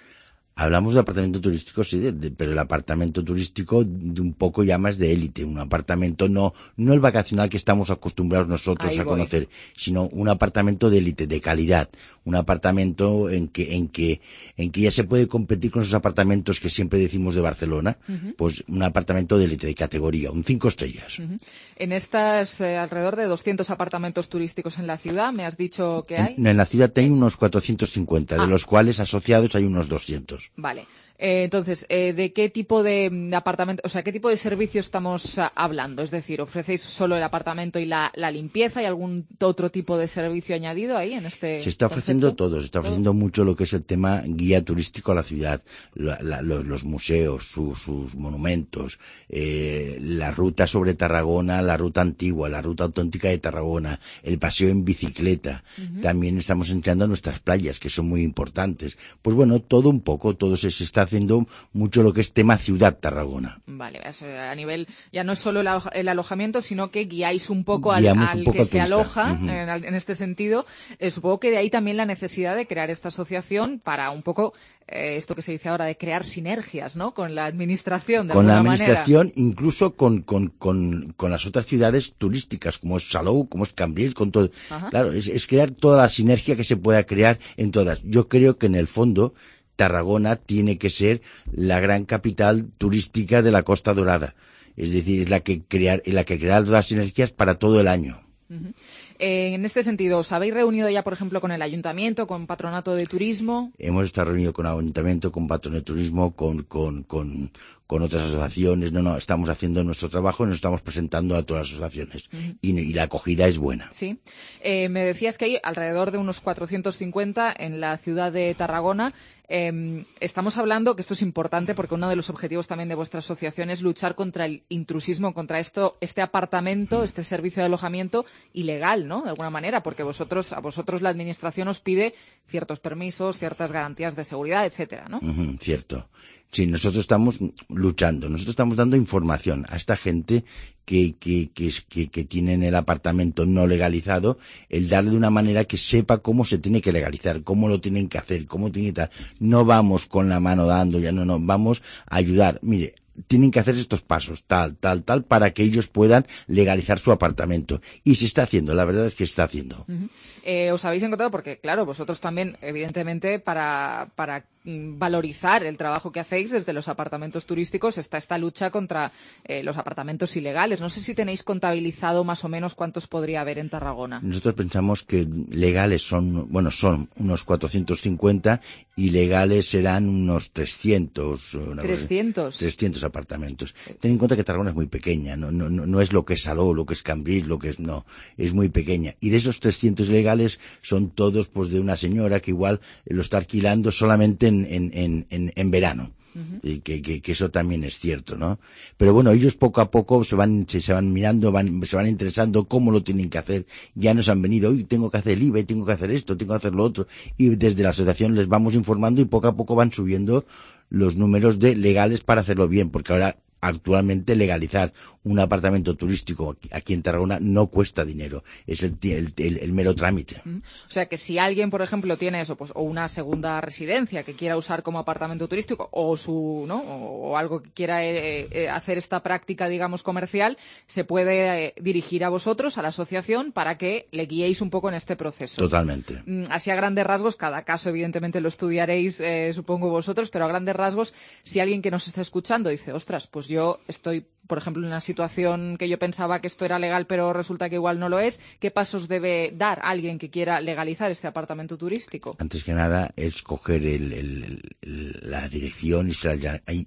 Hablamos de apartamento turístico, sí, de- de- pero el apartamento turístico de un poco ya más de élite, un apartamento no no el vacacional que estamos acostumbrados nosotros Ahí a voy. conocer, sino un apartamento de élite, de calidad, un apartamento en que en que en que ya se puede competir con esos apartamentos que siempre decimos de Barcelona, Ujú. pues un apartamento de élite, de categoría, un cinco estrellas. Ujú. En estas eh, alrededor de doscientos apartamentos turísticos en la ciudad, me has dicho que hay. En, en la ciudad hay unos cuatrocientos cincuenta, Ah. de los cuales asociados hay unos doscientos. Vale. Eh, entonces, eh, ¿de qué tipo de apartamento, o sea, qué tipo de servicio estamos uh, hablando? Es decir, ¿ofrecéis solo el apartamento y la, la limpieza? ¿Hay algún otro tipo de servicio añadido ahí en este Se está ofreciendo concepto? todo, se está ofreciendo ¿Todo? mucho lo que es el tema guía turístico a la ciudad, la, la, los, los museos, su, sus monumentos, eh, la ruta sobre Tarragona, la ruta antigua, la ruta auténtica de Tarragona, el paseo en bicicleta. Uh-huh. También estamos entrando a nuestras playas, que son muy importantes. Pues bueno, todo un poco, todo se, se está haciendo mucho lo que es tema ciudad Tarragona. Vale, a nivel, ya no es solo el, el alojamiento, sino que guiáis un poco al, Guiamos al un poco que al se turista. aloja, Uh-huh. en, en este sentido. Eh, supongo que de ahí también la necesidad de crear esta asociación para un poco eh, esto que se dice ahora de crear sinergias, ¿no? Con la administración, de Con la alguna administración, manera. incluso con, con, con, con las otras ciudades turísticas, como es Salou, como es Cambrils, con todo. Ajá. Claro, es, es crear toda la sinergia que se pueda crear en todas. Yo creo que en el fondo Tarragona tiene que ser la gran capital turística de la Costa Dorada. Es decir, es la que crear, la que crea todas las sinergias para todo el año. Uh-huh. Eh, en este sentido, ¿os habéis reunido ya, por ejemplo, con el Ayuntamiento, con Patronato de Turismo? Hemos estado reunidos con el Ayuntamiento, con Patronato de Turismo, con, con, con, con otras asociaciones. No, no, estamos haciendo nuestro trabajo y nos estamos presentando a todas las asociaciones. Uh-huh. y, y la acogida es buena. Sí. Eh, me decías que hay alrededor de unos cuatrocientos cincuenta en la ciudad de Tarragona. Eh, estamos hablando, que esto es importante porque uno de los objetivos también de vuestra asociación es luchar contra el intrusismo, contra esto, este apartamento, este servicio de alojamiento ilegal, ¿no? De alguna manera, porque vosotros, a vosotros la administración os pide ciertos permisos, ciertas garantías de seguridad, etcétera, ¿no? Uh-huh, cierto. Sí, nosotros estamos luchando, nosotros estamos dando información a esta gente que, que, que, que, que tienen el apartamento no legalizado, el darle de una manera que sepa cómo se tiene que legalizar, cómo lo tienen que hacer, cómo tiene que estar. No vamos con la mano dando, ya no, no, vamos a ayudar. Mire, tienen que hacer estos pasos, tal, tal, tal, para que ellos puedan legalizar su apartamento. Y se está haciendo, la verdad es que se está haciendo. Uh-huh. Eh, os habéis encontrado, porque claro, vosotros también, evidentemente, para, para valorizar el trabajo que hacéis desde los apartamentos turísticos está esta lucha contra eh, los apartamentos ilegales. No sé si tenéis contabilizado más o menos cuántos podría haber en Tarragona. Nosotros pensamos que legales son, bueno, son unos cuatrocientos cincuenta y legales serán unos trescientos. ¿trescientos? trescientos apartamentos. Ten en cuenta que Tarragona es muy pequeña, no, no, no es lo que es Salou, lo que es Cambrils, lo que es, no, es muy pequeña. Y de esos trescientos legales son todos pues de una señora que igual lo está alquilando solamente en En, en, en, en verano. Uh-huh. Y que, que, que eso también es cierto, ¿no? Pero bueno, ellos poco a poco se van, se, se van mirando, van, se van interesando cómo lo tienen que hacer. Ya nos han venido, hoy tengo que hacer el I V A, tengo que hacer esto, tengo que hacer lo otro. Y desde la asociación les vamos informando y poco a poco van subiendo los números de legales para hacerlo bien, porque ahora actualmente legalizar un apartamento turístico aquí, aquí en Tarragona no cuesta dinero, es el, el, el, el mero trámite. O sea que si alguien, por ejemplo, tiene eso, pues o una segunda residencia que quiera usar como apartamento turístico o su, ¿no? O, o algo que quiera eh, eh, hacer esta práctica, digamos, comercial, se puede eh, dirigir a vosotros, a la asociación, para que le guiéis un poco en este proceso. Totalmente. Así a grandes rasgos, cada caso evidentemente lo estudiaréis, eh, supongo vosotros, pero a grandes rasgos, si alguien que nos está escuchando dice, ostras, pues yo estoy, por ejemplo, en una situación que yo pensaba que esto era legal, pero resulta que igual no lo es, ¿qué pasos debe dar alguien que quiera legalizar este apartamento turístico? Antes que nada, es coger el, el, el, la dirección y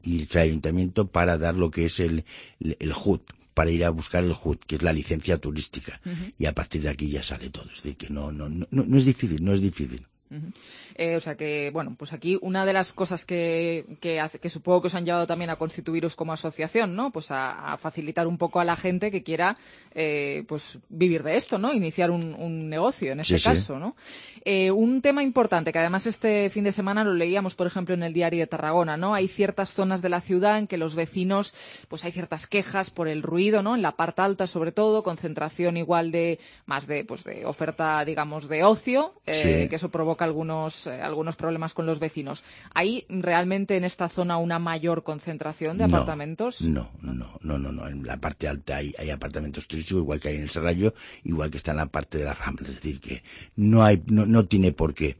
irse al ayuntamiento para dar lo que es el, el, el H U D, para ir a buscar el H U D, que es la licencia turística. Uh-huh. Y a partir de aquí ya sale todo. Es decir, que no, no, no, no es difícil, no es difícil. Uh-huh. Eh, o sea que, bueno, pues aquí una de las cosas que, que, hace, que supongo que os han llevado también a constituiros como asociación, ¿no? Pues a, a facilitar un poco a la gente que quiera, eh, pues vivir de esto, ¿no? Iniciar un, un negocio, en este sí, caso, sí. ¿no? Eh, un tema importante, que además este fin de semana lo leíamos, por ejemplo, en el Diario de Tarragona, ¿no? Hay ciertas zonas de la ciudad en que los vecinos, pues hay ciertas quejas por el ruido, ¿no? En la parte alta, sobre todo, concentración igual de, más de, pues de oferta, digamos, de ocio, eh, sí. que eso provoca algunos, eh, algunos problemas con los vecinos. ¿Hay realmente en esta zona una mayor concentración de no, apartamentos? No, no, no, no, no. En la parte alta hay, hay apartamentos turísticos, igual que hay en el Serrallo, igual que está en la parte de la Rambla. Es decir, que no hay, no, no tiene por qué.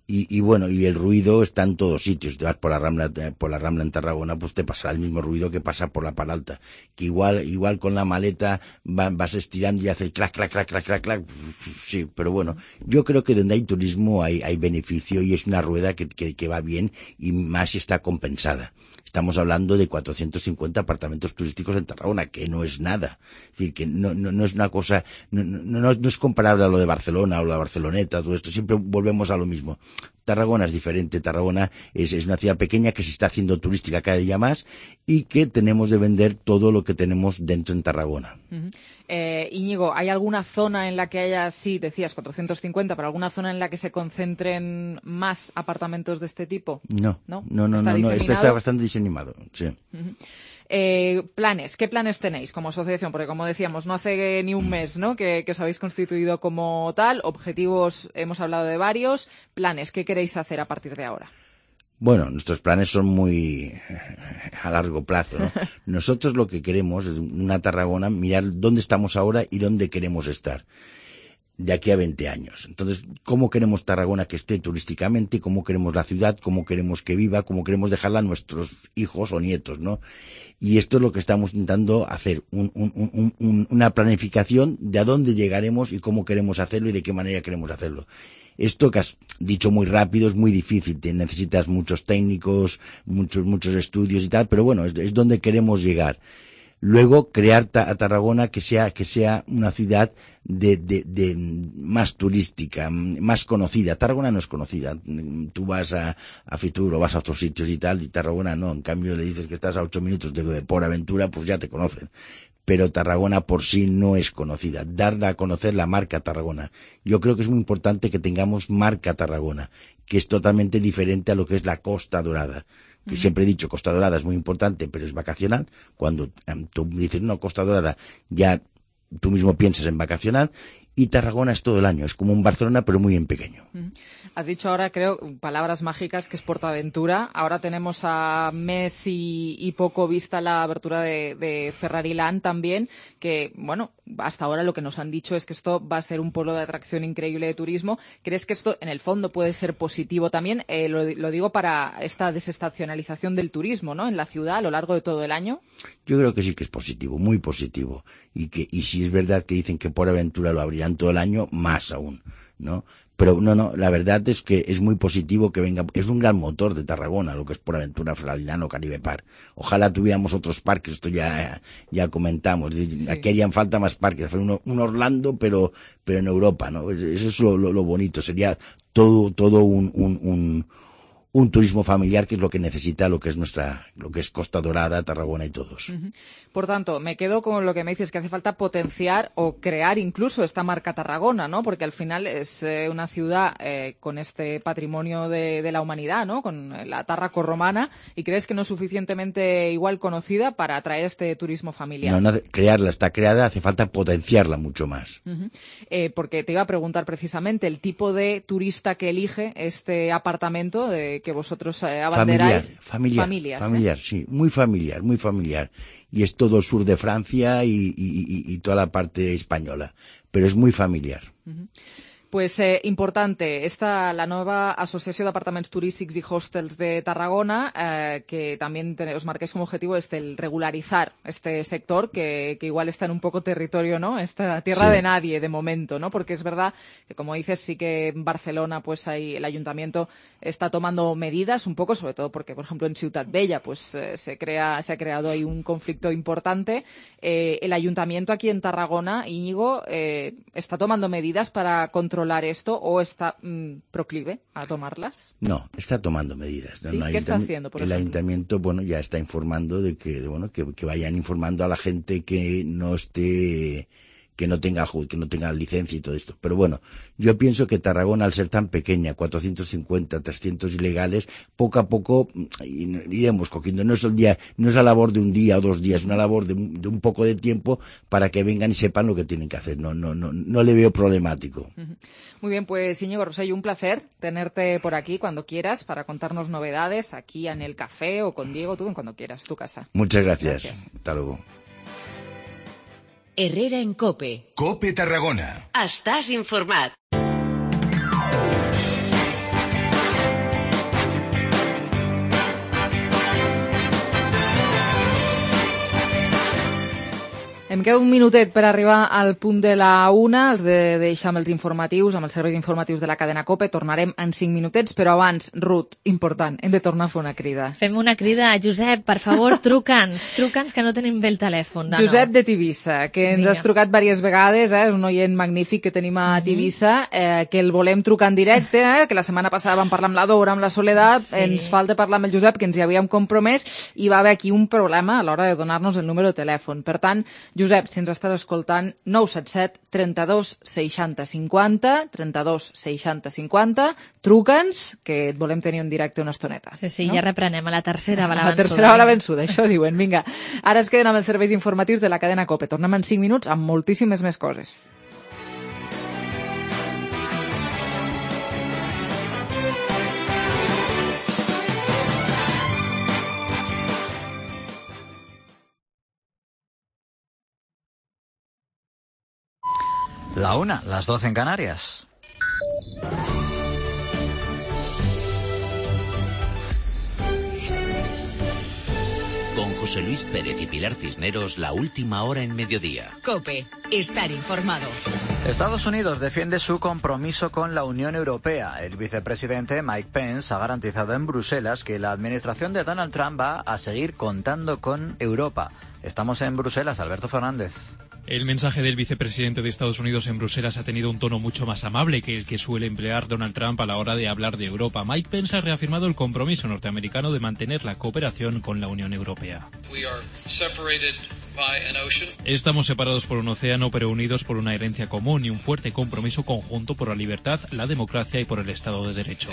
Y, y bueno, y el ruido está en todos sitios. Te vas por la Rambla, por la Rambla en Tarragona, pues te pasará el mismo ruido que pasa por la Paralta. Que igual, igual con la maleta va, vas estirando y haces clac, clac, clac, clac, clac, clac. Sí, pero bueno, yo creo que donde hay turismo hay, hay beneficio y es una rueda que, que, que va bien y más si está compensada. Estamos hablando de cuatrocientos cincuenta apartamentos turísticos en Tarragona, que no es nada. Es decir, que no, no, no es una cosa, no, no, no, no es comparable a lo de Barcelona o la Barceloneta, todo esto. Siempre volvemos a lo mismo. Tarragona es diferente. Tarragona es, es una ciudad pequeña que se está haciendo turística cada día más y que tenemos de vender todo lo que tenemos dentro en Tarragona. Uh-huh. Eh, Íñigo, ¿hay alguna zona en la que haya, sí, decías cuatrocientos cincuenta, pero alguna zona en la que se concentren más apartamentos de este tipo? No, no, no, no, ¿Está no, no. diseminado? Está, está bastante diseminado, sí. Uh-huh. Eh, planes, ¿qué planes tenéis como asociación? Porque como decíamos, no hace ni un mes, ¿no? que, que os habéis constituido como tal, objetivos, hemos hablado de varios, planes, ¿qué queréis hacer a partir de ahora? Bueno, nuestros planes son muy a largo plazo, ¿no? Nosotros lo que queremos es una Tarragona, mirar dónde estamos ahora y dónde queremos estar de aquí a veinte años. Entonces, ¿cómo queremos Tarragona que esté turísticamente? ¿Cómo queremos la ciudad? ¿Cómo queremos que viva? ¿Cómo queremos dejarla a nuestros hijos o nietos, no? Y esto es lo que estamos intentando hacer, un, un, un, un, una planificación de a dónde llegaremos y cómo queremos hacerlo y de qué manera queremos hacerlo. Esto que has dicho muy rápido es muy difícil, te necesitas muchos técnicos, muchos muchos estudios y tal, pero bueno, es, es donde queremos llegar. Luego, crear ta, a Tarragona que sea que sea una ciudad de, de, de más turística, más conocida. Tarragona no es conocida. Tú vas a, a Fitur o vas a otros sitios y tal, y Tarragona no. En cambio, le dices que estás a ocho minutos de, de Port Aventura, pues ya te conocen. Pero Tarragona por sí no es conocida. Darla a conocer la marca Tarragona. Yo creo que es muy importante que tengamos marca Tarragona, que es totalmente diferente a lo que es la Costa Dorada. Que siempre he dicho, Costa Dorada es muy importante, pero es vacacional. Cuando um, tú dices, no, Costa Dorada, ya tú mismo piensas en vacacional. Y Tarragona es todo el año, es como un Barcelona, pero muy en pequeño. Has dicho ahora, creo, palabras mágicas, que es PortAventura. Ahora tenemos a mes y, y poco vista la abertura de, de Ferrari Land también, que, bueno, hasta ahora lo que nos han dicho es que esto va a ser un polo de atracción increíble de turismo. ¿Crees que esto, en el fondo, puede ser positivo también? Eh, lo, lo digo para esta desestacionalización del turismo, ¿no?, en la ciudad a lo largo de todo el año. Yo creo que sí que es positivo, muy positivo. Y que y si es verdad que dicen que PortAventura lo abrirán todo el año, más aún, ¿no? Pero no, no, la verdad es que es muy positivo que venga, es un gran motor de Tarragona, lo que es PortAventura, Ferrari Land o Caribe Park. Ojalá tuviéramos otros parques, esto ya, ya comentamos, sí. Aquí harían falta más parques, un, un Orlando, pero, pero en Europa, ¿no? Eso es lo, lo, lo bonito, sería todo, todo un, un, un, un turismo familiar, que es lo que necesita lo que es nuestra, lo que es Costa Dorada, Tarragona y todos. Uh-huh. Por tanto, me quedo con lo que me dices, que hace falta potenciar o crear incluso esta marca Tarragona, ¿no? Porque al final es eh, una ciudad eh, con este patrimonio de, de la humanidad, ¿no? Con la Tarraco-romana, y crees que no es suficientemente igual conocida para atraer este turismo familiar. No, no, crearla está creada, hace falta potenciarla mucho más. Uh-huh. Eh, porque te iba a preguntar precisamente el tipo de turista que elige este apartamento de que vosotros eh, abanderáis. Familiar, familiar, familiar, ¿eh? Sí, muy familiar, muy familiar. Y es todo el sur de Francia y, y, y, y toda la parte española, pero es muy familiar. Uh-huh. Pues eh, importante, esta la nueva Asociació d'Apartaments Turístics y Hostels de Tarragona, eh, que también te, os marquéis como objetivo este, el regularizar este sector, que, que igual está en un poco territorio, ¿no? Esta tierra sí. de nadie de momento, ¿no? Porque es verdad que, como dices, sí que en Barcelona pues hay, el ayuntamiento está tomando medidas un poco, sobre todo porque, por ejemplo, en Ciutat Vella pues eh, se crea se ha creado ahí un conflicto importante. Eh, el ayuntamiento aquí en Tarragona, Íñigo, eh, está tomando medidas para controlar esto, o está mmm, proclive a tomarlas? No, está tomando medidas. ¿Sí? No, ¿Qué está haciendo, por el ejemplo? ayuntamiento, bueno, ya está informando de que, de, bueno, que, que vayan informando a la gente que no esté, que no tenga que no tenga licencia y todo esto. Pero bueno, yo pienso que Tarragona, al ser tan pequeña, cuatrocientos cincuenta, trescientos ilegales, poco a poco iremos cogiendo. No es el día, no es la labor de un día o dos días, es una labor de, de un poco de tiempo para que vengan y sepan lo que tienen que hacer. No, no, no, no le veo problemático. Muy bien, pues Íñigo Rosselló, un placer tenerte por aquí cuando quieras para contarnos novedades aquí en el café o con Diego, tú cuando quieras, tu casa. Muchas gracias. Gracias. Hasta luego. Herrera en COPE. COPE Tarragona. Estàs informat. queda un minutet per arribar al punt de la una, els de deixar amb els informatius, amb els serveis informatius de la cadena COPE. Tornarem en cinc minutets, però abans, Ruth, important, hem de tornar a fer una crida. Fem una crida. Josep, per favor, truca'ns. Truca'ns, que no tenim bé el telèfon. De Josep nou. de Tivissa, que ens Vinga. has trucat diverses vegades, eh? És un oient magnífic que tenim a Tivissa, eh, que el volem trucar en directe, eh? Que la setmana passada vam parlar amb la Dora, amb la Soledat, Sí. ens falta parlar amb el Josep, que ens hi havíem compromès, i va haver aquí un problema a l'hora de donar-nos el número de telèfon. Per tant, Josep, si ens estàs escoltant, nou set set, trenta-dos, seixanta, cinquanta, trenta-dos, seixanta, cinquanta, truca'ns, que et volem tenir en directe una estoneta. Sí, sí, no? ja reprenem a la tercera bala A la vençuda. tercera bala vençuda, això diuen. Vinga, ara es queden amb els serveis informatius de la cadena COPE. Tornem en cinc minuts amb moltíssimes més coses. La una, las doce en Canarias. Con José Luis Pérez y Pilar Cisneros, la última hora en mediodía. COPE, estar informado. Estados Unidos defiende su compromiso con la Unión Europea. El vicepresidente Mike Pence ha garantizado en Bruselas que la administración de Donald Trump va a seguir contando con Europa. Estamos en Bruselas, Alberto Fernández. El mensaje del vicepresidente de Estados Unidos en Bruselas ha tenido un tono mucho más amable que el que suele emplear Donald Trump a la hora de hablar de Europa. Mike Pence ha reafirmado el compromiso norteamericano de mantener la cooperación con la Unión Europea. Estamos separados por un océano, pero unidos por una herencia común y un fuerte compromiso conjunto por la libertad, la democracia y por el Estado de Derecho.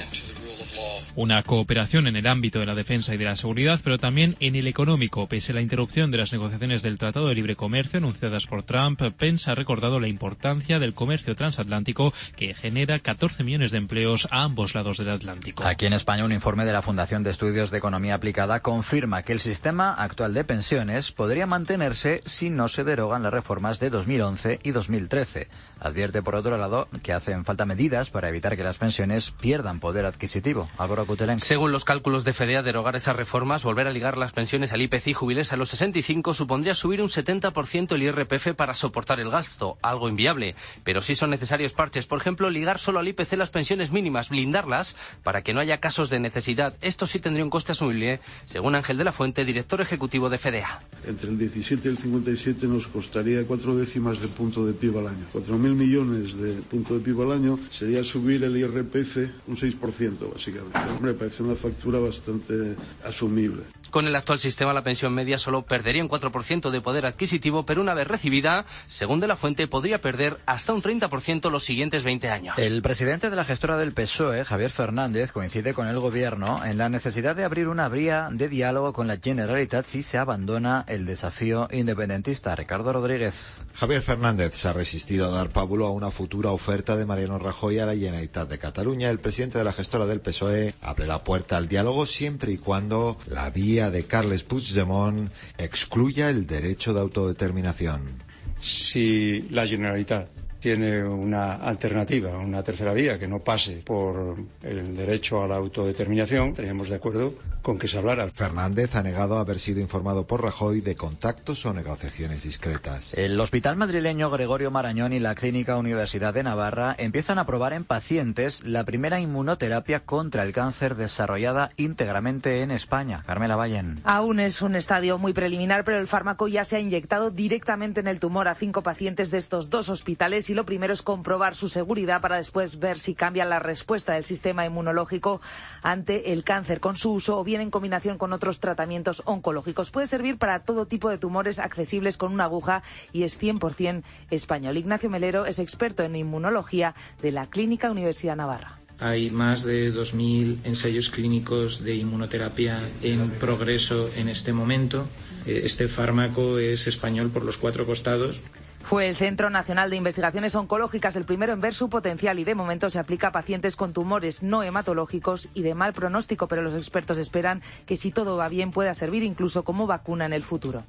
Una cooperación en el ámbito de la defensa y de la seguridad, pero también en el económico. Pese a la interrupción de las negociaciones del Tratado de Libre Comercio anunciadas por Trump, Pence ha recordado la importancia del comercio transatlántico, que genera catorce millones de empleos a ambos lados del Atlántico. Aquí en España, un informe de la Fundación de Estudios de Economía Aplicada confirma que el sistema actual de pensiones podría mantenerse si no se derogan las reformas de dos mil once y dos mil trece. Advierte, por otro lado, que hacen falta medidas para evitar que las pensiones pierdan poder adquisitivo. Álvaro Cutelén. Según los cálculos de FEDEA, derogar esas reformas, volver a ligar las pensiones al I P C y jubilarse a los sesenta y cinco, supondría subir un setenta por ciento el I R P F para soportar el gasto, algo inviable. Pero sí son necesarios parches, por ejemplo, ligar solo al I P C las pensiones mínimas, blindarlas para que no haya casos de necesidad. Esto sí tendría un coste asumible, según Ángel de la Fuente, director ejecutivo de FEDEA. Entre el diecisiete y el cincuenta y siete nos costaría cuatro décimas de punto de P I B al año. cuatro mil millones de punto de P I B al año sería subir el I R P F un seis por ciento, básicamente. Hombre, parece una factura bastante asumible. Con el actual sistema, la pensión media solo perdería un cuatro por ciento de poder adquisitivo, pero una vez recibida, según de la Fuente, podría perder hasta un treinta por ciento los siguientes veinte años. El presidente de la gestora del P S O E, Javier Fernández, coincide con el gobierno en la necesidad de abrir una vía de diálogo con la Generalitat si se abandona el desafío independentista. Ricardo Rodríguez. Javier Fernández se ha resistido a dar pábulo a una futura oferta de Mariano Rajoy a la Generalitat de Cataluña. El presidente de la gestora del P S O E abre la puerta al diálogo siempre y cuando la vía de Carles Puigdemont excluya el derecho de autodeterminación. Si la Generalitat tiene una alternativa, una tercera vía que no pase por el derecho a la autodeterminación, estaríamos de acuerdo con que se hablara. Fernández ha negado haber sido informado por Rajoy de contactos o negociaciones discretas. El Hospital Madrileño Gregorio Marañón y la Clínica Universidad de Navarra empiezan a probar en pacientes la primera inmunoterapia contra el cáncer desarrollada íntegramente en España. Carmela Vallen. Aún es un estadio muy preliminar, pero el fármaco ya se ha inyectado directamente en el tumor a cinco pacientes de estos dos hospitales. Y lo primero es comprobar su seguridad para después ver si cambia la respuesta del sistema inmunológico ante el cáncer con su uso o bien en combinación con otros tratamientos oncológicos. Puede servir para todo tipo de tumores accesibles con una aguja y es cien por ciento español. Ignacio Melero es experto en inmunología de la Clínica Universidad Navarra. Hay más de dos mil ensayos clínicos de inmunoterapia en progreso en este momento. Este fármaco es español por los cuatro costados. Fue el Centro Nacional de Investigaciones Oncológicas el primero en ver su potencial y de momento se aplica a pacientes con tumores no hematológicos y de mal pronóstico, pero los expertos esperan que si todo va bien pueda servir incluso como vacuna en el futuro.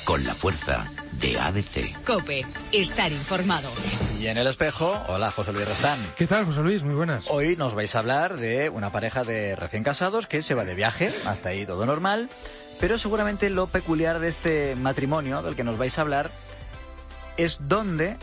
Con la fuerza de A B C. COPE, estar informado. Y en El Espejo, hola José Luis Restán. ¿Qué tal, José Luis? Muy buenas. Hoy nos vais a hablar de una pareja de recién casados que se va de viaje, hasta ahí todo normal, pero seguramente lo peculiar de este matrimonio del que nos vais a hablar es dónde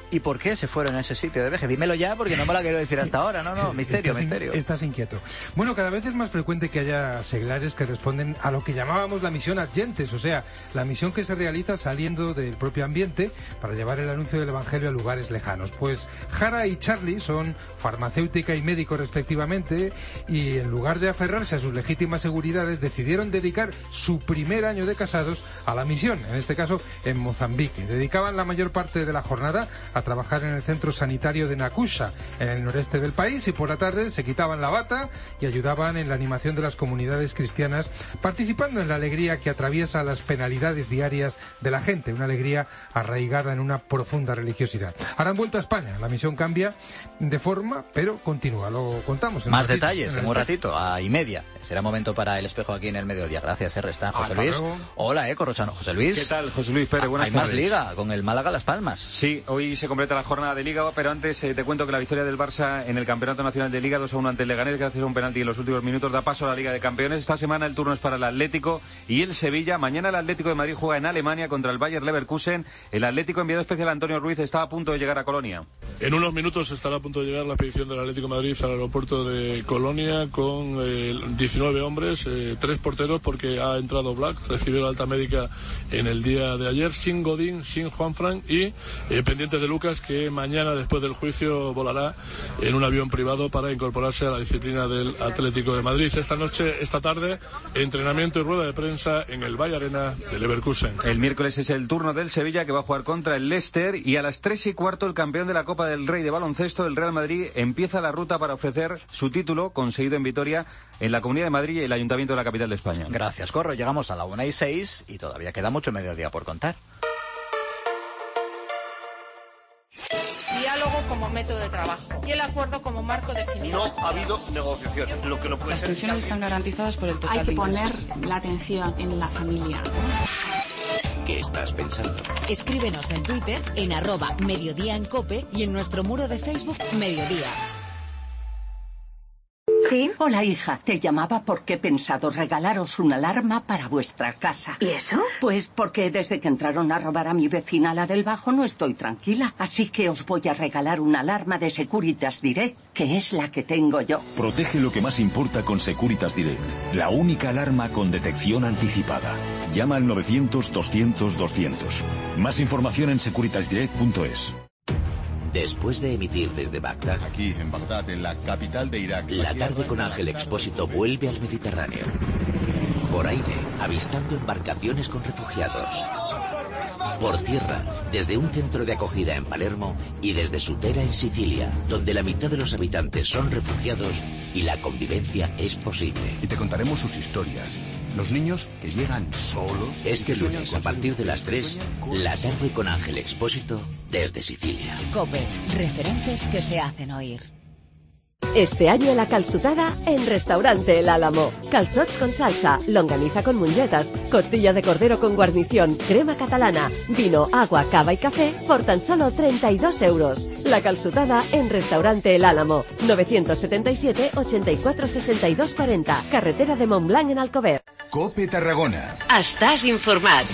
y por qué se fueron a ese sitio de viaje. Dímelo ya, porque no me lo quiero decir hasta ahora. No, no, misterio, estás misterio. In, estás inquieto. Bueno, cada vez es más frecuente que haya seglares que responden a lo que llamábamos la misión ad gentes, o sea, la misión que se realiza saliendo del propio ambiente para llevar el anuncio del Evangelio a lugares lejanos. Pues Jara y Charlie son farmacéutica y médico respectivamente, y en lugar de aferrarse a sus legítimas seguridades, decidieron dedicar su primer año de casados a la misión, en este caso en Mozambique. Dedicaban la mayor parte de la jornada a trabajar en el centro sanitario de Nakusha, en el noreste del país, y por la tarde se quitaban la bata y ayudaban en la animación de las comunidades cristianas, participando en la alegría que atraviesa las penalidades diarias de la gente, una alegría arraigada en una profunda religiosidad. Ahora han vuelto a España, la misión cambia de forma, pero continúa, lo contamos. En Más ratito, detalles en, en un ratito, a y media. Será momento para el espejo aquí en el mediodía. Gracias, R. Está José Hasta Luis. luego. Hola, eh, Corrochano. José Luis. ¿Qué tal, José Luis Pérez? Buenas Hay tardes. más liga con el Málaga Las Palmas. Sí, hoy se completa la jornada de Liga, pero antes eh, te cuento que la victoria del Barça en el Campeonato Nacional de Liga dos a uno ante el Leganés, gracias a un penalti en los últimos minutos, da paso a la Liga de Campeones. Esta semana el turno es para el Atlético y el Sevilla. Mañana el Atlético de Madrid juega en Alemania contra el Bayer Leverkusen. El Atlético, enviado especial Antonio Ruiz, está a punto de llegar a Colonia. En unos minutos estará a punto de llegar la expedición del Atlético de Madrid al aeropuerto de Colonia con eh, diecinueve hombres, eh, tres porteros porque ha entrado Black, recibió la alta médica en el día de ayer, sin Godín, sin Juanfran y eh, pendientes de Lucas, que mañana después del juicio volará en un avión privado para incorporarse a la disciplina del Atlético de Madrid. Esta noche, esta tarde, entrenamiento y rueda de prensa en el Valle Arena de Leverkusen. El miércoles es el turno del Sevilla, que va a jugar contra el Leicester, y a las tres y cuarto el campeón de la Copa del Rey de baloncesto, el Real Madrid, empieza la ruta para ofrecer su título conseguido en Vitoria en la Comunidad de Madrid y el Ayuntamiento de la capital de España. Gracias, Corro. Llegamos a la una y seis y todavía queda mucho mediodía por contar. Diálogo como método de trabajo y el acuerdo como marco definido. No ha habido negociación. Lo que no puede Las ser pensiones están garantizadas por el total. Hay que de poner la atención en la familia. ¿Qué estás pensando? Escríbenos en Twitter en arroba mediodía en Cope y en nuestro muro de Facebook Mediodía. ¿Sí? Hola, hija. Te llamaba porque he pensado regalaros una alarma para vuestra casa. ¿Y eso? Pues porque desde que entraron a robar a mi vecina, la del Bajo, no estoy tranquila. Así que os voy a regalar una alarma de Securitas Direct, que es la que tengo yo. Protege lo que más importa con Securitas Direct. La única alarma con detección anticipada. Llama al novecientos doscientos doscientos. Más información en securitas direct punto es. Después de emitir desde Bagdad, aquí en Bagdad, en la capital de Irak, La tarde con Ángel Expósito vuelve al Mediterráneo. Por aire, avistando embarcaciones con refugiados. Por tierra, desde un centro de acogida en Palermo y desde Sutera en Sicilia, donde la mitad de los habitantes son refugiados y la convivencia es posible. Y te contaremos sus historias. Los niños que llegan solos. Este lunes, a partir de las tres, La tarde con Ángel Expósito desde Sicilia. Cope, referentes que se hacen oír. Este año la calçotada en Restaurante El Álamo. Calçots con salsa, longaniza con mongetas, costilla de cordero con guarnición, crema catalana, vino, agua, cava y café por tan solo treinta y dos euros. La calçotada en Restaurante El Álamo. novecientos setenta y siete, ochenta y cuatro, sesenta y dos cuarenta. Carretera de Montblanc en Alcover. Cope Tarragona. Estàs informat.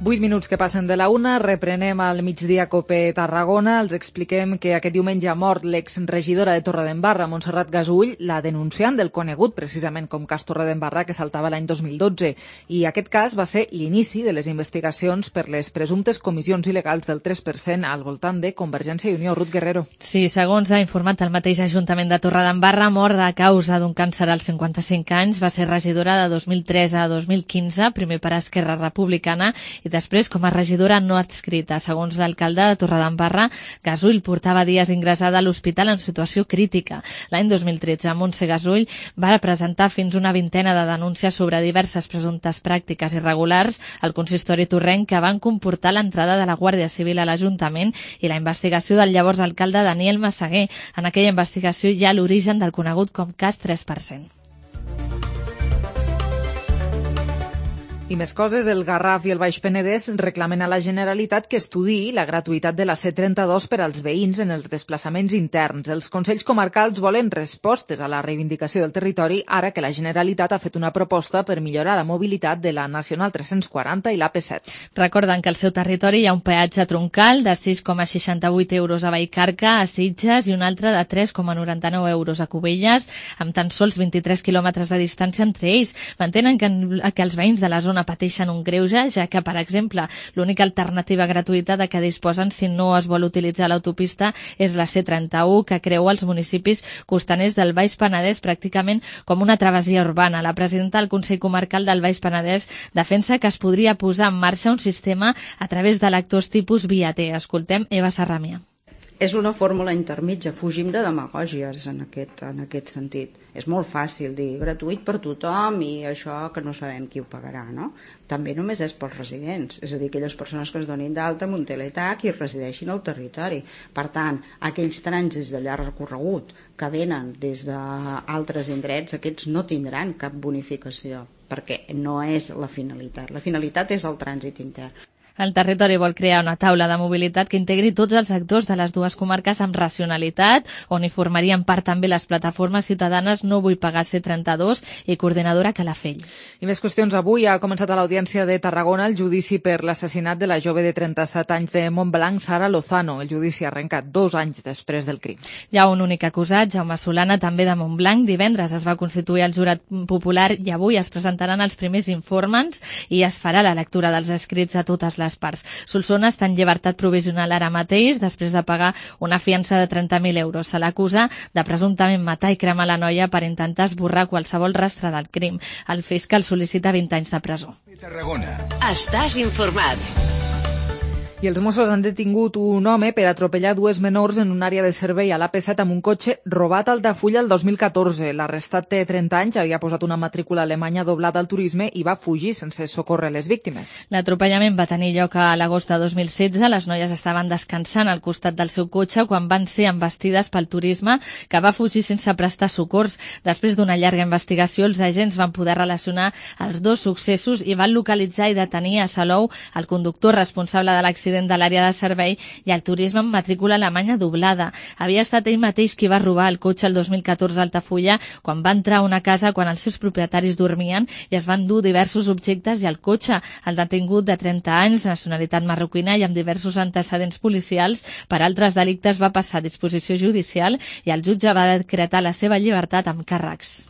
Vuit minuts que passen de la una, reprenem al migdia Cope Tarragona. Els expliquem que aquest diumenge ha mort l'exregidora de Torredembarra, Montserrat Gasull, la denunciant del conegut precisament com cas Torredembarra, que saltava l'any dos mil dotze. I aquest cas va ser l'inici de les investigacions per les presumptes comissions il·legals del tres per cent al voltant de Convergència i Unió. Ruth Guerrero. Sí, segons ha informat el mateix Ajuntament de Torredembarra, mort a causa d'un càncer als cinquanta-cinc anys, va ser regidora de dos mil tres a dos mil quinze, primer per Esquerra Republicana i després com a regidora no adscrita. Segons l'alcalde de Torredembarra, Gasull portava dies ingressada a l'hospital en situació crítica. L'any dos mil tretze, Montse Gasull va presentar fins una vintena de denúncies sobre diverses presumptes pràctiques irregulars al consistori torrenc que van comportar l'entrada de la Guàrdia Civil a l'Ajuntament i la investigació del llavors alcalde Daniel Massaguer. En aquella investigació hi ha l'origen del conegut com cas tres per cent. I més coses, el Garraf i el Baix Penedès reclamen a la Generalitat que estudiï la gratuïtat de la C trenta-dos per als veïns en els desplaçaments interns. Els Consells Comarcals volen respostes a la reivindicació del territori ara que la Generalitat ha fet una proposta per millorar la mobilitat de la Nacional tres-cents quaranta i l'A P set. Recorden que al seu territori hi ha un peatge troncal de sis coma seixanta-vuit euros a Vallcarca, a Sitges, i un altre de tres coma noranta-nou euros a Cubelles, amb tan sols vint-i-tres quilòmetres de distància entre ells. Mantenen que, que els veïns de la zona pateixen un greuge, ja que, per exemple, l'única alternativa gratuïta de què disposen si no es vol utilitzar l'autopista és la C trenta-u, que creua els municipis costaners del Baix Penedès pràcticament com una travessia urbana. La presidenta del Consell Comarcal del Baix Penedès defensa que es podria posar en marxa un sistema a través de lectors tipus via T. Escoltem Eva Sarramia. És una fórmula intermitja, fugim de demagògies en aquest, en aquest sentit. És molt fàcil dir gratuït per tothom i això que no sabem qui ho pagarà, no? També només és pels residents, és a dir, aquelles persones que es donin d'alta amb un teletac i resideixin al territori. Per tant, aquells trànsits de llarg recorregut que venen des d'altres indrets, aquests no tindran cap bonificació, perquè no és la finalitat. La finalitat és el trànsit intern. El territori vol crear una taula de mobilitat que integri tots els actors de les dues comarques amb racionalitat, on hi formarien part també les plataformes ciutadanes No vull pagar C trenta-dos i Coordinadora Calafell. I més qüestions. Avui ha començat a l'Audiència de Tarragona el judici per l'assassinat de la jove de trenta-set anys de Montblanc, Sara Lozano. El judici ha arrencat dos anys després del crim. Hi ha un únic acusat, Jaume Solana, també de Montblanc. Divendres es va constituir el jurat popular i avui es presentaran els primers informants i es farà la lectura dels escrits a totes les les parts. Solsona està en llibertat provisional ara mateix després de pagar una fiança de trenta mil euros. Se l'acusa de presumptament matar i cremar la noia per intentar esborrar qualsevol rastre del crim. El fiscal sol·licita vint anys de presó. Tarragona. Estàs informat. I els Mossos han detingut un home per atropellar dues menors en una àrea de servei a l'A P set amb un cotxe robat a Altafulla el dos mil catorze. L'arrestat té trenta anys, havia posat una matrícula alemanya doblada al turisme i va fugir sense socórrer les víctimes. L'atropellament va tenir lloc a l'agost de dos mil setze. Les noies estaven descansant al costat del seu cotxe quan van ser embestides pel turisme, que va fugir sense prestar socors. Després d'una llarga investigació, els agents van poder relacionar els dos successos i van localitzar i detenir a Salou el conductor responsable de l'accident de l'àrea de servei i el turisme amb matrícula alemanya doblada. Havia estat ell mateix qui va robar el cotxe el dos mil catorze a Altafulla quan va entrar a una casa quan els seus propietaris dormien i es van dur diversos objectes i el cotxe. El detingut de trenta anys, nacionalitat marroquina i amb diversos antecedents policials per altres delictes va passar a disposició judicial i el jutge va decretar la seva llibertat amb càrrecs.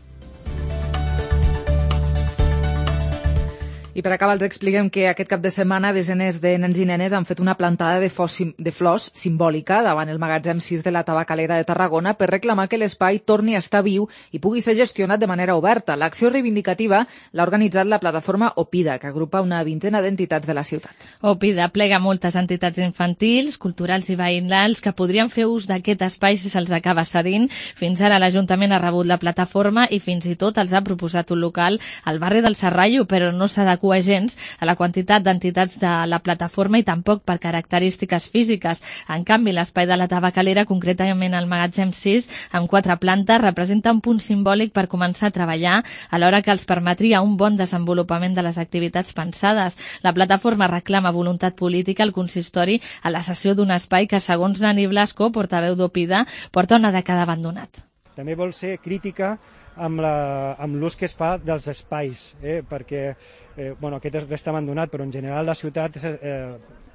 I per acabar els expliquem que aquest cap de setmana desenes de nens i nenes han fet una plantada de, fos, de flors simbòlica davant el magatzem sis de la Tabacalera de Tarragona per reclamar que l'espai torni a estar viu i pugui ser gestionat de manera oberta. L'acció reivindicativa l'ha organitzat la plataforma Opida, que agrupa una vintena d'entitats de la ciutat. Opida plega moltes entitats infantils, culturals i veïnals que podrien fer ús d'aquest espai si se'ls acaba cedint. Fins ara l'Ajuntament ha rebut la plataforma i fins i tot els ha proposat un local al barri del Serrallo, però no s'ha de agents a la quantitat d'entitats de la plataforma i tampoc per característiques físiques. En canvi, l'espai de la Tabacalera, concretament el magatzem sis, amb quatre plantes, representa un punt simbòlic per començar a treballar, alhora que els permetria un bon desenvolupament de les activitats pensades. La plataforma reclama voluntat política al consistori a la cessió d'un espai que, segons Nani Blasco, portaveu d'Opida, porta una dècada abandonat. També vol ser crítica amb la, amb l'ús que es fa dels espais, eh? perquè eh, bueno, aquest resta abandonat, però en general la ciutat eh,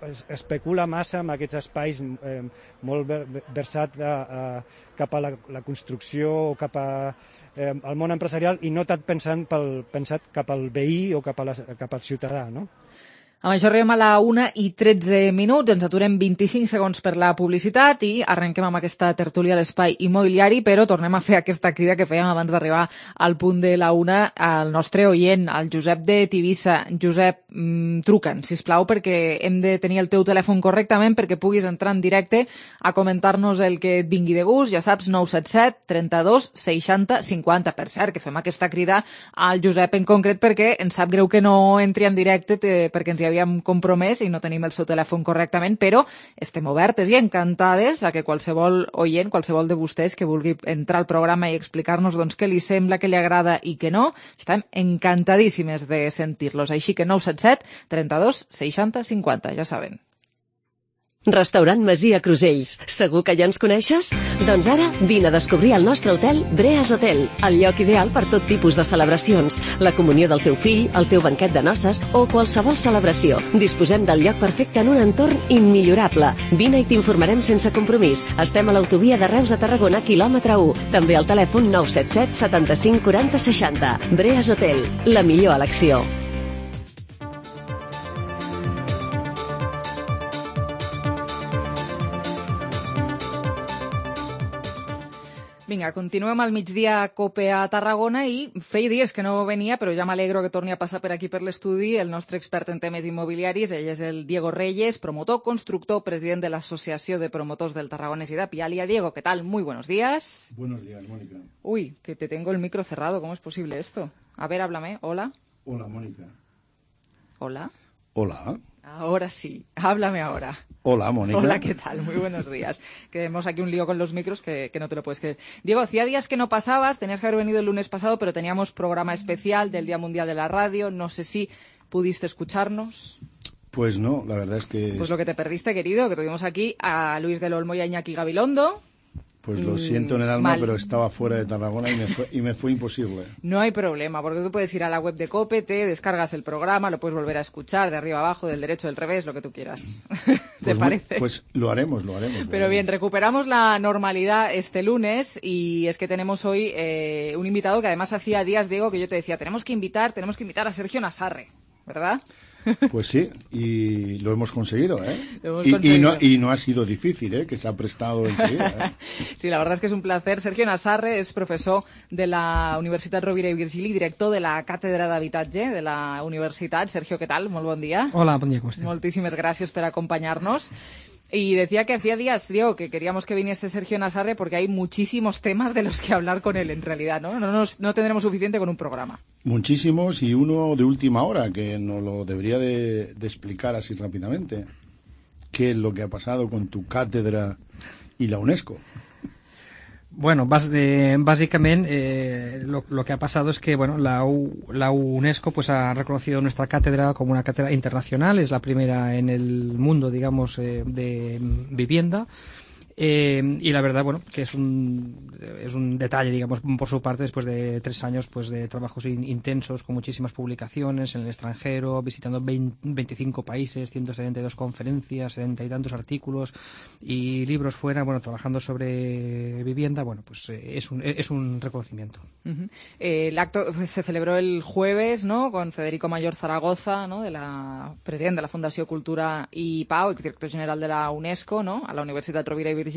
es, especula massa amb aquests espais eh, molt versat a, a, cap a la, la construcció o cap a, eh, al món empresarial i no tant pensant pel, pensat cap al veí o cap, a la, cap al ciutadà, no? Amb això arribem a la una i tretze minuts, ens aturem vint-i-cinc segons per la publicitat i arrenquem amb aquesta tertúlia a l'espai immobiliari, però tornem a fer aquesta crida que fèiem abans d'arribar al punt de la una al nostre oient, al Josep de Tivissa. Josep, mmm, truca'ns, sisplau, perquè hem de tenir el teu telèfon correctament perquè puguis entrar en directe a comentar-nos el que et vingui de gust. Ja saps, nou set set, trenta-dos, seixanta, cinquanta. Per cert, que fem aquesta crida al Josep en concret perquè ens sap greu que no entri en directe te, perquè ens hi li havíem compromès i no tenim el seu telèfon correctament, però estem obertes i encantades a que qualsevol oient, qualsevol de vostès que vulgui entrar al programa i explicar-nos doncs, què li sembla, què li agrada i què no, estem encantadíssimes de sentir-los. Així que nou set set, trenta-dos, seixanta, cinquanta, ja saben. Restaurant Masia Crusells. Segur que ja ens coneixes? Doncs ara vine a descobrir el nostre hotel Breas Hotel, el lloc ideal per tot tipus de celebracions, la comunió del teu fill, el teu banquet de noces o qualsevol celebració. Disposem del lloc perfecte en un entorn immillorable. Vine i t'informarem sense compromís. Estem a l'autovia de Reus a Tarragona, quilòmetre u. També al telèfon nou set set, setanta-cinc, quaranta, seixanta. Breas Hotel, la millor elecció. Vinga, continuem al migdia a COPE a Tarragona i feia dies que no venia, però ja m'alegro que torni a passar per aquí per l'estudi el nostre expert en temes immobiliaris. Ell és el Diego Reyes, promotor, constructor, president de l'Asociació de Promotors del Tarragonés y de Pialia. Diego, ¿qué tal? Muy buenos días. Buenos días, Mónica. Uy, que te tengo el micro cerrado. ¿Cómo es posible esto? A ver, háblame. Hola. Hola, Mónica. Hola. Hola. Ahora sí, háblame ahora. Hola, Mónica. Hola, ¿qué tal? Muy buenos días. Que tenemos aquí un lío con los micros que, que no te lo puedes creer. Diego, hacía días que no pasabas, tenías que haber venido el lunes pasado, pero teníamos programa especial del Día Mundial de la Radio. No sé si pudiste escucharnos. Pues no, la verdad es que... Pues lo que te perdiste, querido, que tuvimos aquí a Luis del Olmo y a Iñaki Gabilondo. Pues lo siento en el alma, Mal. pero estaba fuera de Tarragona y me, fue, y me fue imposible. No hay problema, porque tú puedes ir a la web de COPE, te descargas el programa, lo puedes volver a escuchar de arriba abajo, del derecho, del revés, lo que tú quieras. ¿Te Pues, parece? Pues lo haremos, lo haremos. lo Pero haremos. bien, recuperamos la normalidad este lunes y es que tenemos hoy eh, un invitado que además hacía días, Diego, que yo te decía, tenemos que invitar, tenemos que invitar a Sergio Nasarre, ¿verdad? Pues sí, y lo hemos conseguido, ¿eh? Lo hemos y, conseguido. y, no, y no ha sido difícil, ¿eh? Que se ha prestado enseguida, ¿eh? Sí, la verdad es que es un placer. Sergio Nasarre és professor de la Universitat Rovira i Virgili, director de la Càtedra d'Habitatge de la universitat. Sergio, ¿qué tal? Molt bon dia. Hola, bon dia, com esteu? Moltíssimes gràcies per acompañarnos. Y decía que hacía días, Diego, que queríamos que viniese Sergio Nasarre porque hay muchísimos temas de los que hablar con él en realidad, ¿no? No, nos, no tendremos suficiente con un programa. Muchísimos y uno de última hora que nos lo debería de, de explicar así rápidamente. ¿Qué es lo que ha pasado con tu cátedra y la UNESCO? Bueno, bas, eh, básicamente eh, lo, lo que ha pasado es que bueno, la, U, la UNESCO pues ha reconocido nuestra cátedra como una cátedra internacional, es la primera en el mundo, digamos, eh, de vivienda. Eh, y la verdad, bueno, que es un, es un detalle, digamos, por su parte, después de tres años pues de trabajos in, intensos, con muchísimas publicaciones en el extranjero, visitando veinte, veinticinco países, ciento setenta y dos conferencias, setenta y tantos artículos y libros fuera, bueno, trabajando sobre vivienda, bueno, pues eh, es, un, es un reconocimiento. Uh-huh. eh, el acto pues, se celebró el jueves, ¿no?, con Federico Mayor Zaragoza, ¿no?, de la presidente de la Fundació Cultura i Pau, exdirector general de la UNESCO, ¿no?, a la Universitat Rovira i Virgili.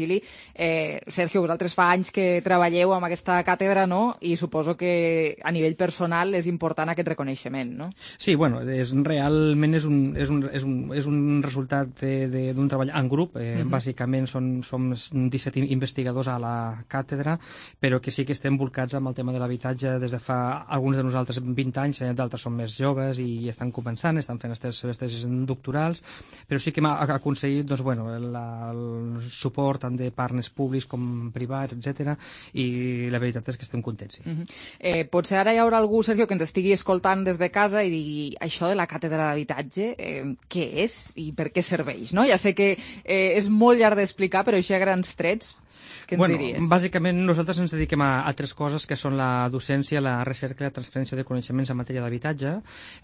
Eh, Sergio, vosaltres fa anys que treballeu amb aquesta càtedra, no?, i suposo que a nivell personal és important aquest reconeixement, no? Sí, bueno, és, realment és un, és un, és un, és un resultat d'un treball en grup. Eh, uh-huh. Bàsicament som, som disset investigadors a la càtedra, però que sí que estem volcats amb el tema de l'habitatge des de fa alguns de nosaltres vint anys, eh, d'altres són més joves i estan començant, estan fent les seves tesis doctorals, però sí que hem aconseguit doncs, bueno, la, el suport tant de partners públics com privats, etcètera, i la veritat és que estem contents. Sí. Uh-huh. eh, potser ara hi haurà algú, Sergio, que ens estigui escoltant des de casa i digui això de la càtedra d'habitatge, eh, què és i per què serveix, no? Ja sé que eh, és molt llarg d'explicar, però això a grans trets, què ens bueno, diries? Bàsicament nosaltres ens dediquem a, a tres coses que són la docència, la recerca i la transferència de coneixements en matèria d'habitatge.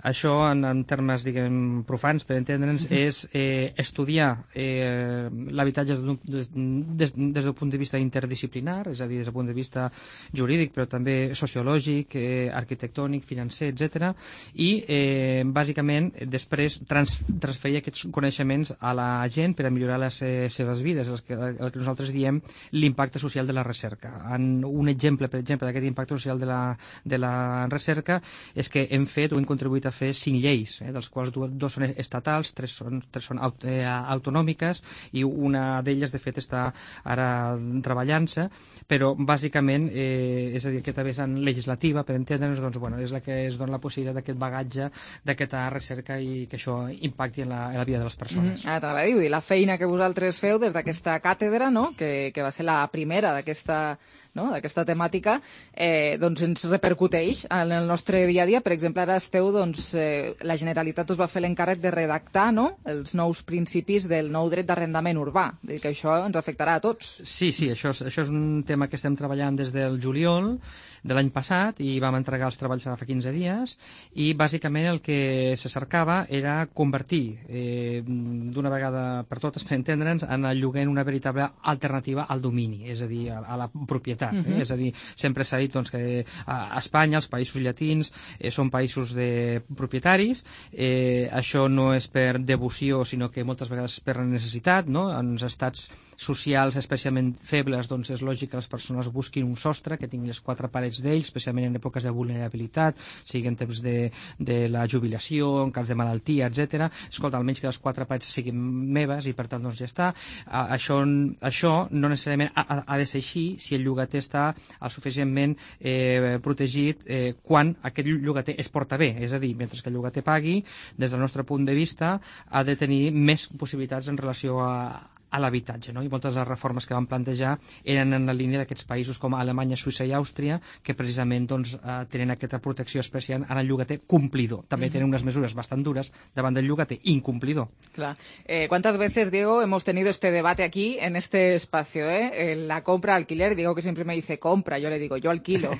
Això, en, en termes, diguem, profans, per entendre'ns, uh-huh. és eh, estudiar eh, l'habitatge des, des, des del punt de vista interdisciplinar, és a dir, des del punt de vista jurídic, però també sociològic, eh, arquitectònic, financer, etcètera. I, eh, bàsicament, després trans, transferir aquests coneixements a la gent per a millorar les eh, seves vides, el que, el que nosaltres diem l'impacte social de la recerca. En un exemple, per exemple, d'aquest impacte social de la, de la recerca és que hem fet o hem contribuït a fer cinc lleis, eh, dels quals dos, dos són estatals, tres són, tres són aut eh, autonòmiques i una d'elles, de fet, està ara treballant-se, però bàsicament, eh, és a dir, aquesta vessant legislativa, per entendre'ns, doncs, bueno, és la que es dona la possibilitat d'aquest bagatge, d'aquesta recerca i que això impacti en la, en la vida de les persones. Mm -hmm. Ara t'anava a dir, i la feina que vosaltres feu des d'aquesta càtedra, no?, que, que va ser la primera d'aquesta no? d'aquesta temàtica, eh, doncs ens repercuteix en el nostre dia a dia. Per exemple, ara esteu, doncs, eh, la Generalitat us va fer l'encàrrec de redactar, no?, els nous principis del nou dret d'arrendament urbà. Vull dir que això ens afectarà a tots. Sí, sí, això és, això és un tema que estem treballant des del juliol de l'any passat i vam entregar els treballs ara fa quinze dies i bàsicament el que se cercava era convertir eh, d'una vegada per totes, per entendre'ns, en el lloguer en una veritable alternativa al domini, és a dir, a, a la propietat. Eh? Uh-huh. És a dir, sempre s'ha dit doncs, que a Espanya, els països llatins, eh, són països de propietaris. Eh, això no és per devoció, sinó que moltes vegades per necessitat, no? En els estats socials especialment febles, doncs és lògic que les persones busquin un sostre que tingui les quatre parets d'ells, especialment en èpoques de vulnerabilitat, sigui en temps de, de la jubilació, en cas de malaltia, etcètera. Escolta, almenys que les quatre parets siguin meves i per tant doncs ja està. Uh, això, això no necessàriament ha, ha de ser així si el llogater està el suficientment eh, protegit eh, quan aquest llogater es porta bé, és a dir, mentre que el llogater pagui, des del nostre punt de vista ha de tenir més possibilitats en relació a a l'habitatge, no? I moltes de les reformes que van plantejar eren en la línia d'aquests països com Alemanya, Suïssa i Àustria, que precisament doncs, eh, tenen aquesta protecció especial en el llogater complidor. També uh-huh. tenen unes mesures bastant dures davant del llogater incumplidor. Claro. Eh, ¿Cuántas veces, Diego, hemos tenido este debate aquí, en este espacio? ¿eh? Eh, la compra-alquiler, Diego que siempre me dice compra, yo le digo yo alquilo.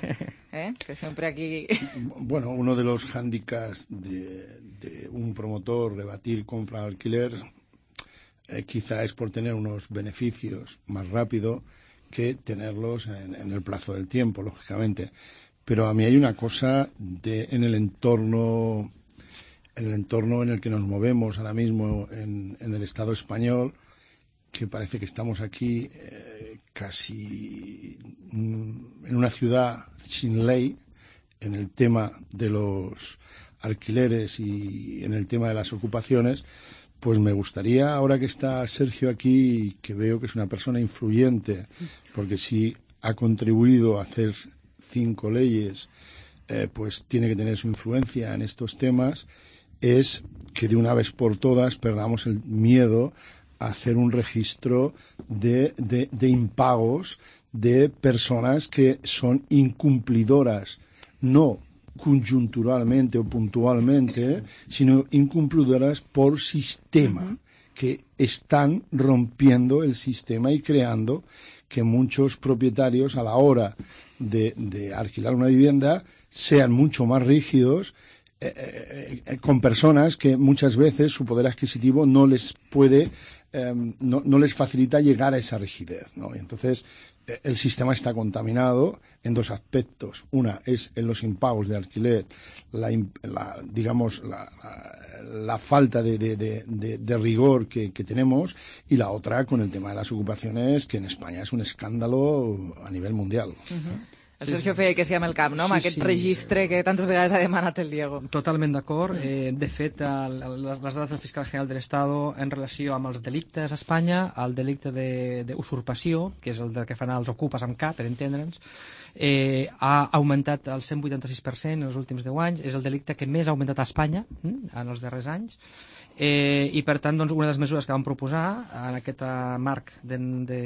¿eh? Que siempre aquí... Bueno, uno de los hándicaps de, de un promotor rebatir compra-alquiler Eh, quizá es por tener unos beneficios más rápido que tenerlos en, en el plazo del tiempo, lógicamente. Pero a mí hay una cosa de, en el entorno, en el entorno en el que nos movemos ahora mismo en, en el Estado español, que parece que estamos aquí eh, casi en una ciudad sin ley en el tema de los alquileres y en el tema de las ocupaciones. Pues me gustaría, ahora que está Sergio aquí, que veo que es una persona influyente, porque si ha contribuido a hacer cinco leyes, eh, pues tiene que tener su influencia en estos temas, es que de una vez por todas perdamos el miedo a hacer un registro de, de, de impagos de personas que son incumplidoras, no conjunturalmente o puntualmente, sino incumplidoras por sistema, uh-huh. que están rompiendo el sistema y creando que muchos propietarios a la hora de, de alquilar una vivienda sean mucho más rígidos eh, eh, con personas que muchas veces su poder adquisitivo no les puede, eh, no, no les facilita llegar a esa rigidez, ¿no? Y entonces el sistema está contaminado en dos aspectos. Una es en los impagos de alquiler, la, la, digamos, la, la, la falta de, de, de, de, de rigor que, que tenemos, y la otra con el tema de las ocupaciones, que en España es un escàndalo a nivell mundial. Uh-huh. El Sergio feia que sí amb el cap, no? Amb sí, aquest sí. registre que tantes vegades ha demanat el Diego. Totalment d'acord. Eh, de fet, el, les, les dades del fiscal general de l'Estado en relació amb els delictes a Espanya, el delicte d'usurpació, que és el de que fan els ocupes amb K, per entendre'ns, eh, ha augmentat el cent vuitanta-sis per cent en els últims deu anys. És el delicte que més ha augmentat a Espanya hm, en els darrers anys. Eh, I, per tant, doncs, una de les mesures que vam proposar en aquest marc de, de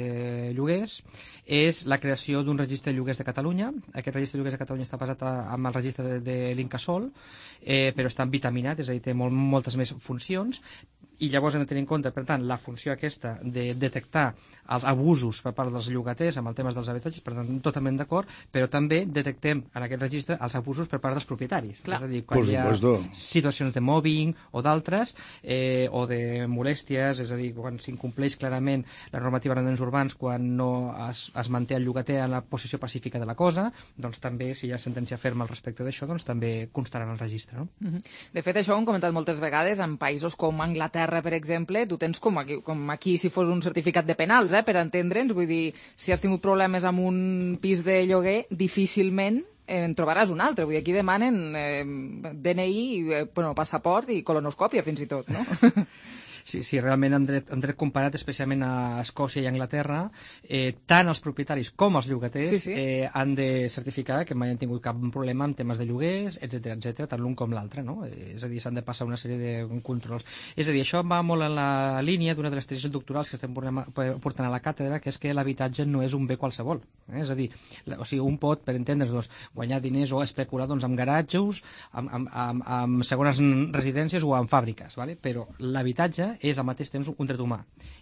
lloguers és la creació d'un registre de lloguers de Catalunya. Aquest registre de lloguers de Catalunya està basat en el registre de, de l'Incasòl, eh, però està vitaminat, és a dir, té molt, moltes més funcions, i llavors hem de tenir en compte, per tant, la funció aquesta de detectar els abusos per part dels llogaters amb el tema dels habitatges, per tant, totalment d'acord, però també detectem en aquest registre els abusos per part dels propietaris. Clar. És a dir, quan hi ha situacions de mobbing o d'altres, eh, o de molèsties, és a dir, quan s'incompleix clarament la normativa d'arrendaments urbans, quan no es, es manté el llogater en la posició pacífica de la cosa, doncs també, si hi ha sentència ferma al respecte d'això, doncs també constarà en el registre, no? Uh-huh. De fet, això ho hem comentat moltes vegades en països com Anglaterra, R, per exemple, tu tens com aquí, com aquí si fos un certificat de penals, eh, per entendre'ns. Vull dir, si has tingut problemes amb un pis de lloguer, difícilment en trobaràs un altre. Vull dir, aquí demanen eh, D N I, eh, bueno, passaport i colonoscòpia, fins i tot, no? Sí, sí, realment en dret, en dret comparat, especialment a Escòcia i Anglaterra, eh, tant els propietaris com els llogaters sí, sí. Eh, han de certificar que mai han tingut cap problema amb temes de lloguers, etcètera, etcètera, tant l'un com l'altre, no? Eh, és a dir, s'han de passar una sèrie de controls. És a dir, això va molt en la línia d'una de les tesis doctorals que estem portant a la càtedra, que és que l'habitatge no és un bé qualsevol. Eh? És a dir, la, o sigui, un pot, per entendre's, doncs, guanyar diners o especular doncs, amb garatges, amb, amb, amb, amb segones residències o amb fàbriques, ¿vale? Però l'habitatge és al mateix temps un dret humà.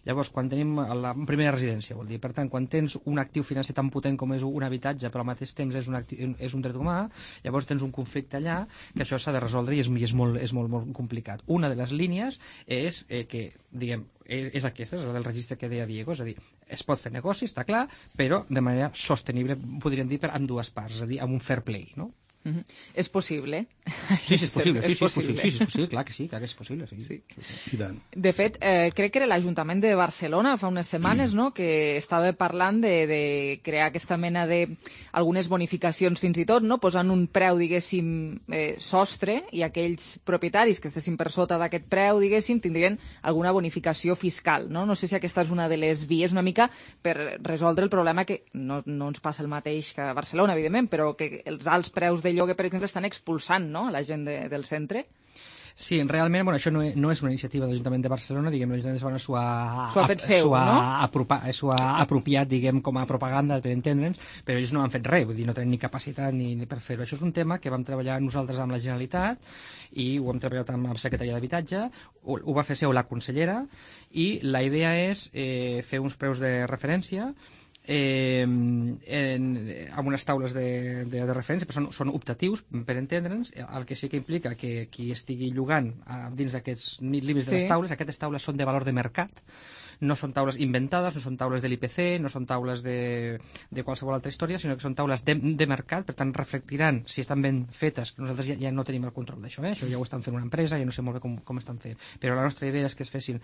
Llavors, quan tenim la primera residència, vol dir, per tant, quan tens un actiu financer tan potent com és un habitatge, però al mateix temps és un, actiu, és un dret humà, llavors tens un conflicte allà que això s'ha de resoldre i és, és, molt, és molt, molt complicat. Una de les línies és eh, que, diguem, és, és aquesta, és la del registre que deia Diego, és a dir, es pot fer negoci, està clar, però de manera sostenible, podríem dir, per ambdues parts, és a dir, amb un fair play, no? Uh-huh. És possible. Sí, sí, és possible, sí, sí, és possible. Sí, sí, és possible, clar que sí, clar que és possible. Sí. Sí. I tant. De fet, eh, crec que era l'Ajuntament de Barcelona fa unes setmanes, no?, que estava parlant de, de crear aquesta mena de algunes bonificacions fins i tot, no?, posant un preu, diguéssim, eh, sostre, i aquells propietaris que estessin per sota d'aquest preu, diguéssim, tindrien alguna bonificació fiscal, no? No sé si aquesta és una de les vies una mica per resoldre el problema que no, no ens passa el mateix que a Barcelona, evidentment, però que els alts preus de lloguer, per exemple, estan expulsant, no?, a la gent de, del centre. Sí, realment, bueno, això no, no és una iniciativa de l'Ajuntament de Barcelona, diguem, l'Ajuntament de Barcelona s'ho ha, ha fet seu, s'ho ha, no? apropa, s'ho ha apropiat, diguem, com a propaganda, per entendre'ns, però ells no han fet res, vull dir, no tenen ni capacitat ni, ni per fer-ho. Això és un tema que vam treballar nosaltres amb la Generalitat i ho hem treballat amb la Secretaria d'Habitatge, ho, ho va fer seu la consellera, i la idea és eh, fer uns preus de referència Eh, en, amb unes taules de, de, de referència, però són, són optatius, per entendre'ns, el que sí que implica que qui estigui llogant eh, dins d'aquests límits sí. de les taules, aquestes taules són de valor de mercat, no són taules inventades, no són taules de l'I P C, no són taules de, de qualsevol altra història, sinó que són taules de, de mercat, per tant reflectiran si estan ben fetes, que nosaltres ja, ja no tenim el control d'això, eh? Això ja ho estan fent una empresa, ja no sé molt bé com, com estan fent, però la nostra idea és que es fessin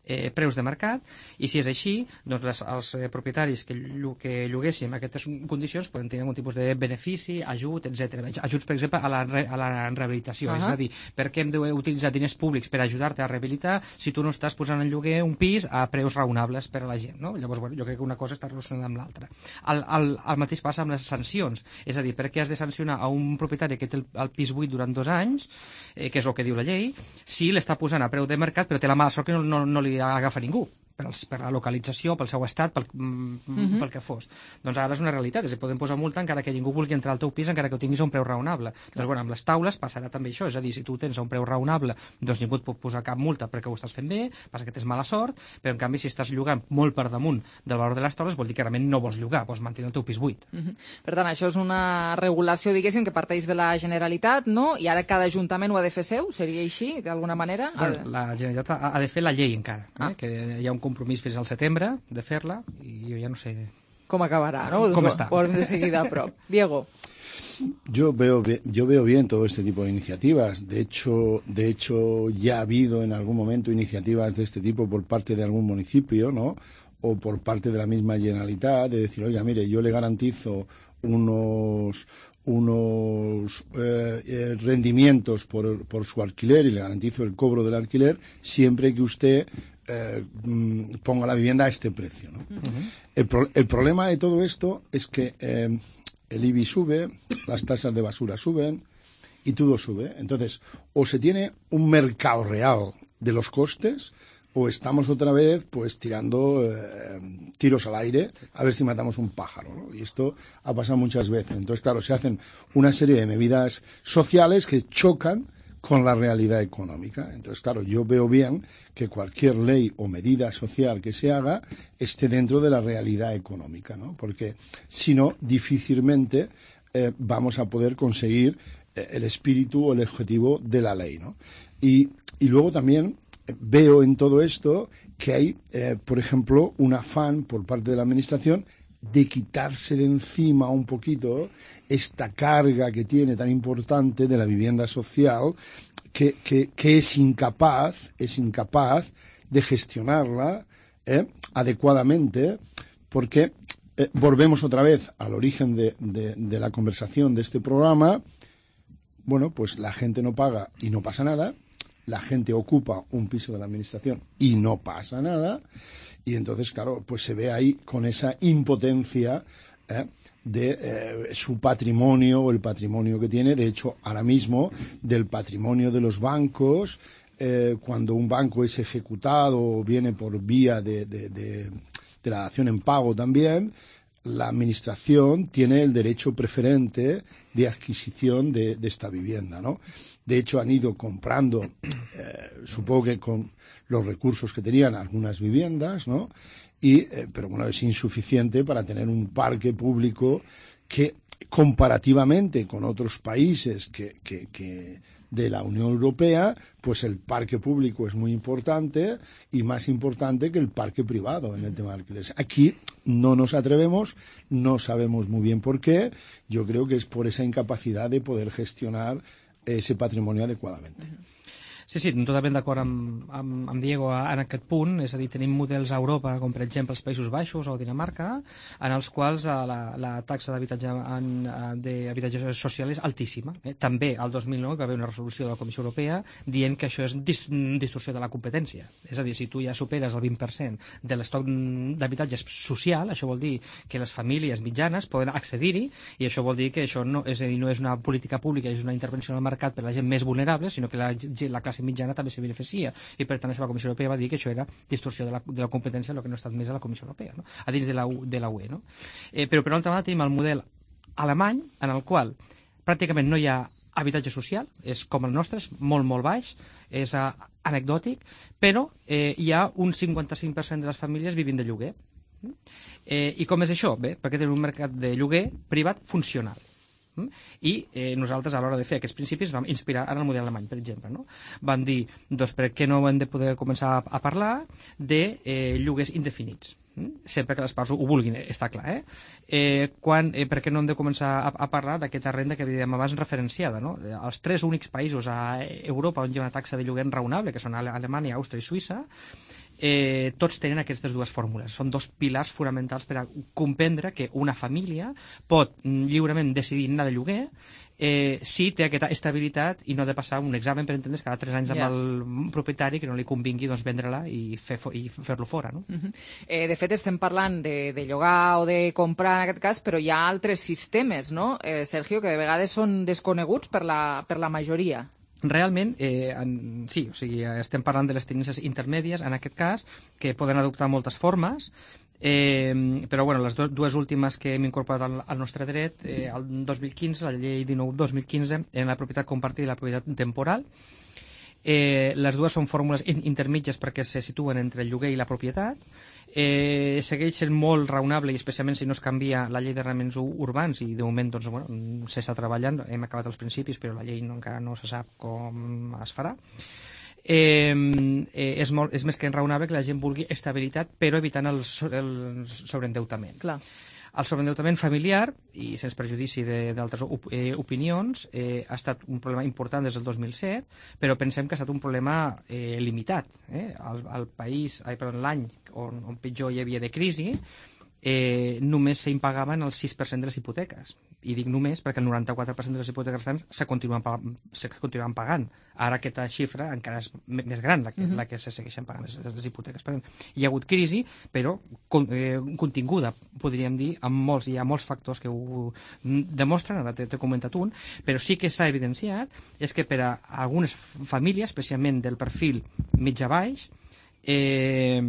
eh, preus de mercat, i si és així, doncs les, els eh, propietaris que, que lloguéssim aquestes condicions poden tenir algun tipus de benefici, ajut, etcètera. Ajuts, per exemple, a la, re, a la rehabilitació, uh-huh. és a dir, per què hem d'utilitzar diners públics per ajudar-te a rehabilitar si tu no estàs posant en lloguer un pis a preus raonables per a la gent, no? Llavors, bueno, jo crec que una cosa està relacionada amb l'altra. El, el, el mateix passa amb les sancions, és a dir, per què has de sancionar a un propietari que té el, el pis buit durant dos anys, eh, que és el que diu la llei, si l'està posant a preu de mercat però té la mala sort que no, no, no li agafa ningú? Per, els, per la localització, pel seu estat, pel, mm, uh-huh. pel que fos. Doncs ara és una realitat, és a dir, podem posar multa encara que ningú vulgui entrar al teu pis, encara que ho tinguis a un preu raonable. Clar. Doncs, bueno, amb les taules passarà també això, és a dir, si tu tens a un preu raonable, doncs ningú et pot posar cap multa perquè ho estàs fent bé, passa que tens mala sort, però en canvi si estàs llogant molt per damunt del valor de les taules, vol dir que realment no vols llogar, vols mantenir el teu pis buit. Uh-huh. Per tant, això és una regulació, diguéssim, que parteix de la Generalitat, no? I ara cada ajuntament ho ha de fer seu, seria així, d'alguna manera? Bueno, la Generalitat ha, ha de fer la llei encara, ah. eh? Que hi ha un compromís fins al setembre de fer-la i jo ja no sé com acabará, ¿no? ¿Cómo está? Por de seguida, pro. Diego. Yo veo, yo veo bien todo este tipo de iniciativas. De hecho, de hecho, ya ha habido en algún momento iniciativas de este tipo por parte de algún municipio, ¿no? O por parte de la misma Generalitat, de decir, oiga, mire, yo le garantizo unos unos eh, eh, rendimientos por, por su alquiler y le garantizo el cobro del alquiler siempre que usted eh, ponga la vivienda a este precio, ¿no? Uh-huh. el, pro, el problema de todo esto es que eh, el I B I sube, las tasas de basura suben y todo sube. Entonces, o se tiene un mercado real de los costes o estamos otra vez pues tirando eh, tiros al aire a ver si matamos un pájaro, ¿no? Y esto ha pasado muchas veces. Entonces, claro, se hacen una serie de medidas sociales que chocan con la realidad económica. Entonces, claro, yo veo bien que cualquier ley o medida social que se haga esté dentro de la realidad económica, ¿no? Porque si no, difícilmente eh, vamos a poder conseguir eh, el espíritu o el objetivo de la ley, ¿no? Y, y luego también veo en todo esto que hay, eh, por ejemplo, un afán por parte de la Administración de quitarse de encima un poquito esta carga que tiene tan importante de la vivienda social, que, que, que es incapaz, es incapaz de gestionarla eh, adecuadamente, porque eh, volvemos otra vez al origen de, de, de la conversación de este programa. Bueno, pues la gente no paga y no pasa nada, la gente ocupa un piso de la administración y no pasa nada, y entonces, claro, pues se ve ahí con esa impotencia eh, de eh, su patrimonio o el patrimonio que tiene. De hecho, ahora mismo, del patrimonio de los bancos, eh, cuando un banco es ejecutado o viene por vía de, de, de, de la dación en pago también, la administración tiene el derecho preferente de adquisición de, de esta vivienda, ¿no? De hecho, han ido comprando, eh, supongo que con los recursos que tenían, algunas viviendas, ¿no? Y, eh, pero bueno, es insuficiente para tener un parque público que, comparativamente con otros países que, que, que de la Unión Europea, pues el parque público es muy importante y más importante que el parque privado en el tema de alquileres. Aquí no nos atrevemos, no sabemos muy bien por qué. Yo creo que es por esa incapacidad de poder gestionar ese patrimonio adecuadamente. Sí, sí, totalment d'acord amb, amb, amb Diego en aquest punt, és a dir, tenim models a Europa, com per exemple els Països Baixos o Dinamarca, en els quals la, la taxa d'habitatge d'habitatge social és altíssima. Eh? També el dos mil nou hi va haver una resolució de la Comissió Europea dient que això és dis distorsió de la competència. És a dir, si tu ja superes el vint per cent de l'estoc d'habitatge social, això vol dir que les famílies mitjanes poden accedir-hi, i això vol dir que això no és, a dir, no és una política pública, és una intervenció en el mercat per a la gent més vulnerable, sinó que la, la classe mitjana també se beneficia, i per tant això la Comissió Europea va dir que això era distorsió de la, de la competència, el que no ha estat més a la Comissió Europea, no? A dins de la, de la U E. No? Eh, però per altra banda tenim el model alemany, en el qual pràcticament no hi ha habitatge social, és com el nostre, és molt molt baix, és uh, anecdòtic, però eh, hi ha un cinquanta-cinc per cent de les famílies vivint de lloguer. Eh, I com és això? Bé, perquè tenim un mercat de lloguer privat funcional. I eh, nosaltres a l'hora de fer aquests principis vam inspirar en el model alemany, per exemple, no? Vam dir, doncs per què no hem de poder començar a, a parlar de eh, lloguers indefinits, sempre que les parts ho vulguin, està clar, eh? eh, quan, eh per què no hem de començar a, a parlar d'aquesta renda que dèiem abans referenciada, no? Els tres únics països a Europa on hi ha una taxa de lloguer raonable, que són Alemanya, Àustria i Suïssa, Eh, tots tenen aquestes dues fórmules. Són dos pilars fonamentals per a comprendre que una família pot lliurement decidir anar de lloguer eh, si té aquesta estabilitat i no ha de passar un examen, per entendre's, cada tres anys amb yeah. el propietari que no li convingui doncs, vendre-la i fer-lo fer fora. No? Uh-huh. eh, de fet, estem parlant de, de llogar o de comprar en aquest cas, però hi ha altres sistemes, no, eh, Sergio, que de vegades són desconeguts per la, per la majoria. Realment, eh, en, sí, o sigui, estem parlant de les tendències intermèdies, en aquest cas, que poden adoptar moltes formes, eh, però bueno, les do, dues últimes que hem incorporat al, al nostre dret, eh, el dos mil quinze, la llei dinou dos mil quinze, en la propietat compartida i la propietat temporal. Eh, les dues són fórmules intermitges perquè se situen entre el lloguer i la propietat. Eh, segueix sent molt raonable, i especialment si no es canvia la llei d'arrendaments urbans, i de moment doncs, bueno, s'està treballant, hem acabat els principis, però la llei no, encara no se sap com es farà. Eh, eh, és, molt, és més que raonable que la gent vulgui estabilitat, però evitant el, el sobreendeutament. Clar. El sobreendeutament familiar, i sense perjudici d'altres op eh, opinions, eh, ha estat un problema important des del dos mil set, però pensem que ha estat un problema eh, limitat. Eh? El, el país, l'any on, on pitjor hi havia de crisi, eh, només s'impagaven el sis per cent de les hipoteques. I dic només perquè el noranta-quatre per cent de les hipoteques restants se continuen, se continuen pagant. Ara aquesta xifra encara és més gran, la que, uh-huh. la que se segueixen pagant les, les hipoteques. Per tant, hi ha hagut crisi, però con, eh, continguda, podríem dir, amb molts, hi ha molts factors que ho demostren, ara t'he comentat un, però sí que s'ha evidenciat és que per a algunes famílies, especialment del perfil mitjà-baix, eh,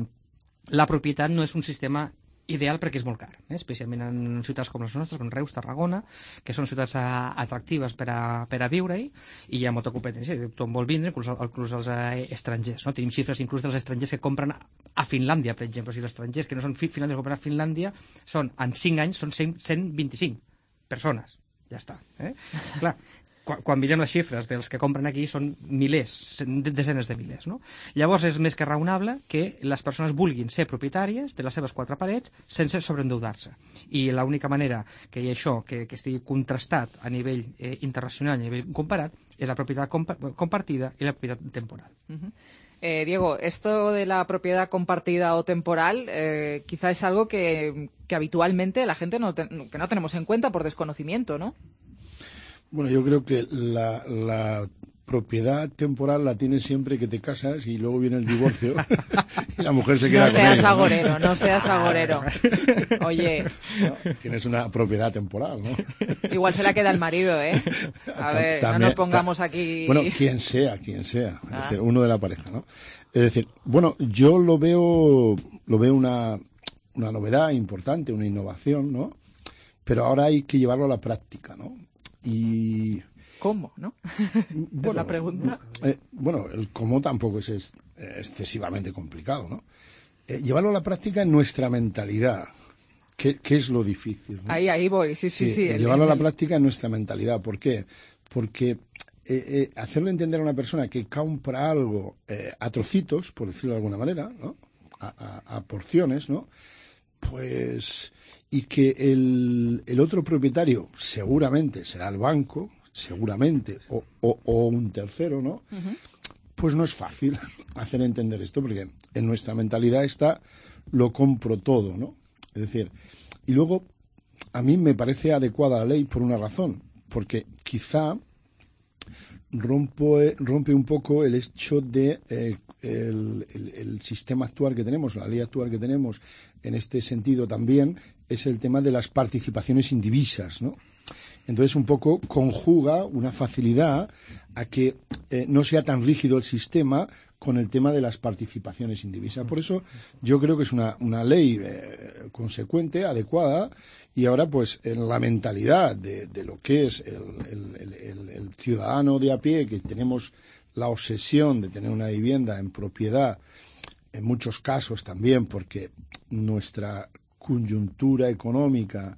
la propietat no és un sistema ideal perquè és molt car, eh? Especialment en ciutats com les nostres, com Reus, Tarragona, que són ciutats a, atractives per a, per a viure-hi, i hi ha molta competència, tothom vol vindre, inclús, inclús els eh, estrangers, no? Tenim xifres inclús dels estrangers que compren a Finlàndia, per exemple. O sigui, els estrangers que no són finlandesos que compren a Finlàndia són, en cinc anys, són cent vint-i-cinc persones. Ja està. Eh? Clar, quan, quan mirem les xifres dels que compren aquí són milers, desenes de milers, no? Llavors és més que raonable que les persones vulguin ser propietàries de les seves quatre parets sense sobreendeudar-se. I l'única manera que hi ha això, que, que estigui contrastat a nivell eh, internacional, a nivell comparat, és la propietat compa compartida i la propietat temporal. Uh-huh. Eh, Diego, esto de la propiedad compartida o temporal eh, quizá es algo que, que habitualmente la gente no, te, que no tenemos en cuenta por desconocimiento, ¿no? Bueno, yo creo que la, la propiedad temporal la tienes siempre que te casas y luego viene el divorcio y la mujer se queda no con seas ella, agorero, ¿no? no seas agorero. Oye. ¿No? Tienes una propiedad temporal, ¿no? Igual se la queda el marido, ¿eh? A ver, también, no nos pongamos aquí... Bueno, quien sea, quien sea. Es ah. decir, uno de la pareja, ¿no? Es decir, bueno, yo lo veo, lo veo una, una novedad importante, una innovación, ¿no? Pero ahora hay que llevarlo a la práctica, ¿no? Y... ¿Cómo, no? Bueno, es la pregunta. Eh, bueno, el cómo tampoco es, es excesivamente complicado, ¿no? Eh, llevarlo a la práctica en nuestra mentalidad, que, que es lo difícil, ¿no? Ahí, ahí voy, sí, sí, sí. sí el, llevarlo el... a la práctica en nuestra mentalidad. ¿Por qué? Porque eh, eh, hacerle entender a una persona que compra algo eh, a trocitos, por decirlo de alguna manera, ¿no? A, a, a porciones, ¿no? Pues... y que el, el otro propietario seguramente será el banco, seguramente, o, o, o un tercero, ¿no? Uh-huh. Pues no es fácil hacer entender esto, porque en nuestra mentalidad está lo compro todo, ¿no? Es decir, y luego a mí me parece adecuada la ley por una razón, porque quizá rompe, rompe un poco el hecho de eh, el, el, el sistema actual que tenemos, la ley actual que tenemos en este sentido también, es el tema de las participaciones indivisas, ¿no? Entonces, un poco conjuga una facilidad a que eh, no sea tan rígido el sistema con el tema de las participaciones indivisas. Por eso, yo creo que es una, una ley eh, consecuente, adecuada, y ahora, pues, en la mentalidad de, de lo que es el, el, el, el ciudadano de a pie, que tenemos la obsesión de tener una vivienda en propiedad, en muchos casos también, porque nuestra coyuntura económica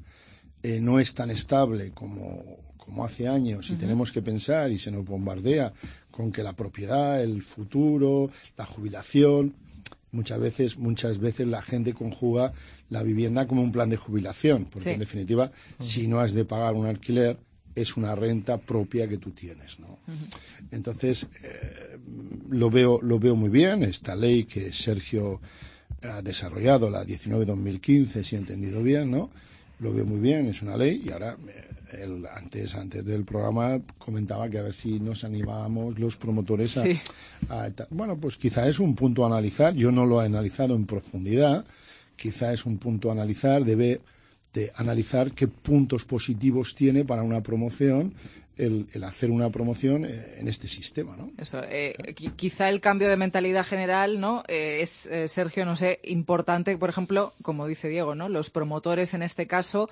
eh, no es tan estable como, como hace años y uh-huh. tenemos que pensar y se nos bombardea con que la propiedad, el futuro, la jubilación, muchas veces, muchas veces la gente conjuga la vivienda como un plan de jubilación, porque sí. en definitiva, uh-huh. si no has de pagar un alquiler, es una renta propia que tú tienes, ¿no? Uh-huh. Entonces, eh, lo veo, lo veo muy bien, esta ley que Sergio ha desarrollado, la diecinueve barra dos mil quince, si he entendido bien, ¿no? Lo veo muy bien, es una ley, y ahora, él, antes, antes del programa, comentaba que a ver si nos animábamos los promotores a, sí. a, a... Bueno, pues quizá es un punto a analizar, yo no lo he analizado en profundidad, quizá es un punto a analizar, debe de analizar qué puntos positivos tiene para una promoción El, el hacer una promoción eh, en este sistema, ¿no? Eso, eh, quizá el cambio de mentalidad general, ¿no? Eh, es, eh, Sergio, no sé, importante, por ejemplo, como dice Diego, ¿no? Los promotores, en este caso,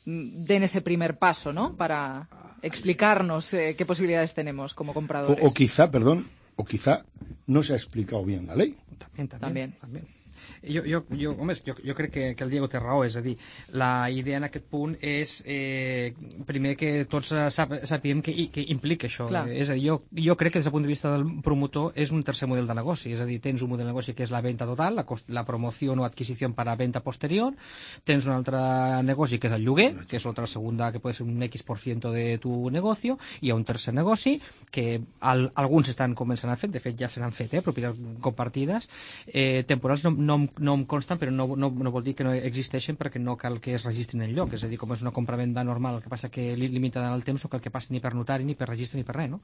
den ese primer paso, ¿no? Para explicarnos eh, qué posibilidades tenemos como compradores. O, o quizá, perdón, o quizá no se ha explicado bien la lei. También, también. también. también. Jo, jo, jo, home, jo, jo crec que, que el Diego té raó, és a dir, la idea en aquest punt és, eh, primer, que tots sap, sapiem que, que implica això. Eh, és a dir, jo, jo crec que des del punt de vista del promotor és un tercer model de negoci, és a dir, tens un model de negoci que és la venda total, la, la promoció o adquisició per a venda posterior, tens un altre negoci que és el lloguer, que és otra segunda, que pot ser un X por ciento de tu negocio, i hi ha un tercer negoci que al, alguns estan començant a fer, de fet ja se n'han fet, eh, propietats compartides, eh, temporals no, no, no em consten, però no, no, no vol dir que no existeixen perquè no cal que es registrin en lloc, és a dir, com és una compra-venda normal, el que passa que limitada en el temps, no cal que passi ni per notari, ni per registre, ni per res, no?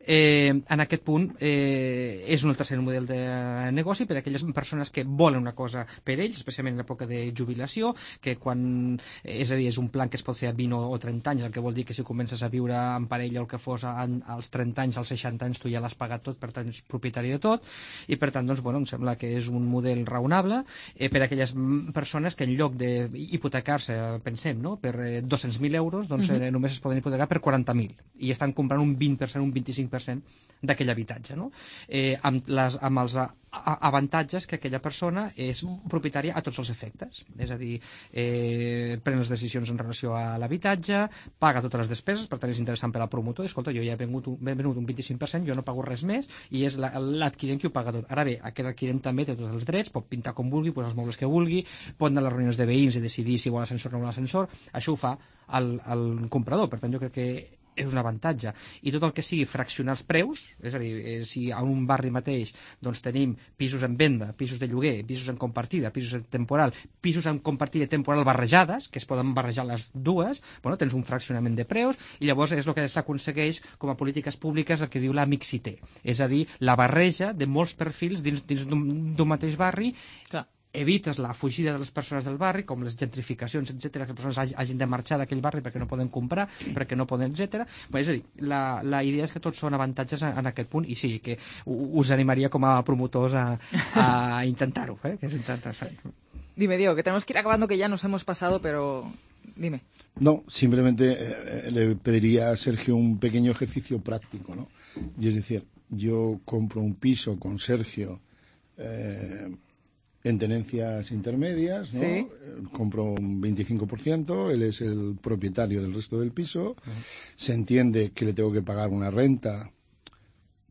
Eh, en aquest punt eh, és un tercer model de negoci per a aquelles persones que volen una cosa per ells, especialment en l'època de jubilació, que quan, és a dir, és un plan que es pot fer a vint o trenta anys, el que vol dir que si comences a viure en parella o el que fos als trenta anys, als seixanta anys, tu ja l'has pagat tot, per tant ets propietari de tot, i per tant, doncs, bueno, em sembla que és un model raonable eh, per a aquelles persones que en lloc d'hipotecar-se, pensem, no?, per eh, dos-cents mil euros, doncs uh-huh. eh, només es poden hipotecar per quaranta mil, i estan comprant un vint per cent, un vint-i-cinc per cent d'aquell habitatge, no? Eh, amb, les, amb els avantatges que aquella persona és propietària a tots els efectes. És a dir, eh, pren les decisions en relació a l'habitatge, paga totes les despeses, per tant és interessant per al promotor. Escolta, jo ja he venut, he venut un vint-i-cinc per cent, jo no pago res més, i és l'adquirent qui ho paga tot. Ara bé, aquest adquirent també té tots els drets, pot pintar com vulgui, posar els mobles que vulgui, pot anar a les reunions de veïns i decidir si vol ascensor o no vol ascensor. Això ho fa el, el comprador, per tant jo crec que és un avantatge. I tot el que sigui fraccionar els preus, és a dir, eh, si a un barri mateix doncs, tenim pisos en venda, pisos de lloguer, pisos en compartida, pisos en temporal, pisos en compartida i temporal barrejades, que es poden barrejar les dues, bueno, tens un fraccionament de preus, i llavors és el que s'aconsegueix com a polítiques públiques el que diu la mixité, és a dir, la barreja de molts perfils dins, dins d'un mateix barri. Clar. Evites la fugida de les persones del barri, com les gentrificacions, etcètera, que les persones hagin de marxar d'aquell barri perquè no poden comprar, perquè no poden, etcètera. Però, és a dir, la, la idea és que tots són avantatges en, en aquest punt, i sí, que us animaria com a promotors a, a intentar-ho, eh? Que és interessant. Dime, Diego, que tenemos que ir acabando, que ya nos hemos pasado, pero dime. No, simplemente eh, le pediría a Sergio un pequeño ejercicio práctico, ¿no? Y es decir, yo compro un piso con Sergio eh, en tenencias intermedias, ¿no? Sí. Compro un veinticinco por ciento, él es el propietario del resto del piso, uh-huh. Se entiende que le tengo que pagar una renta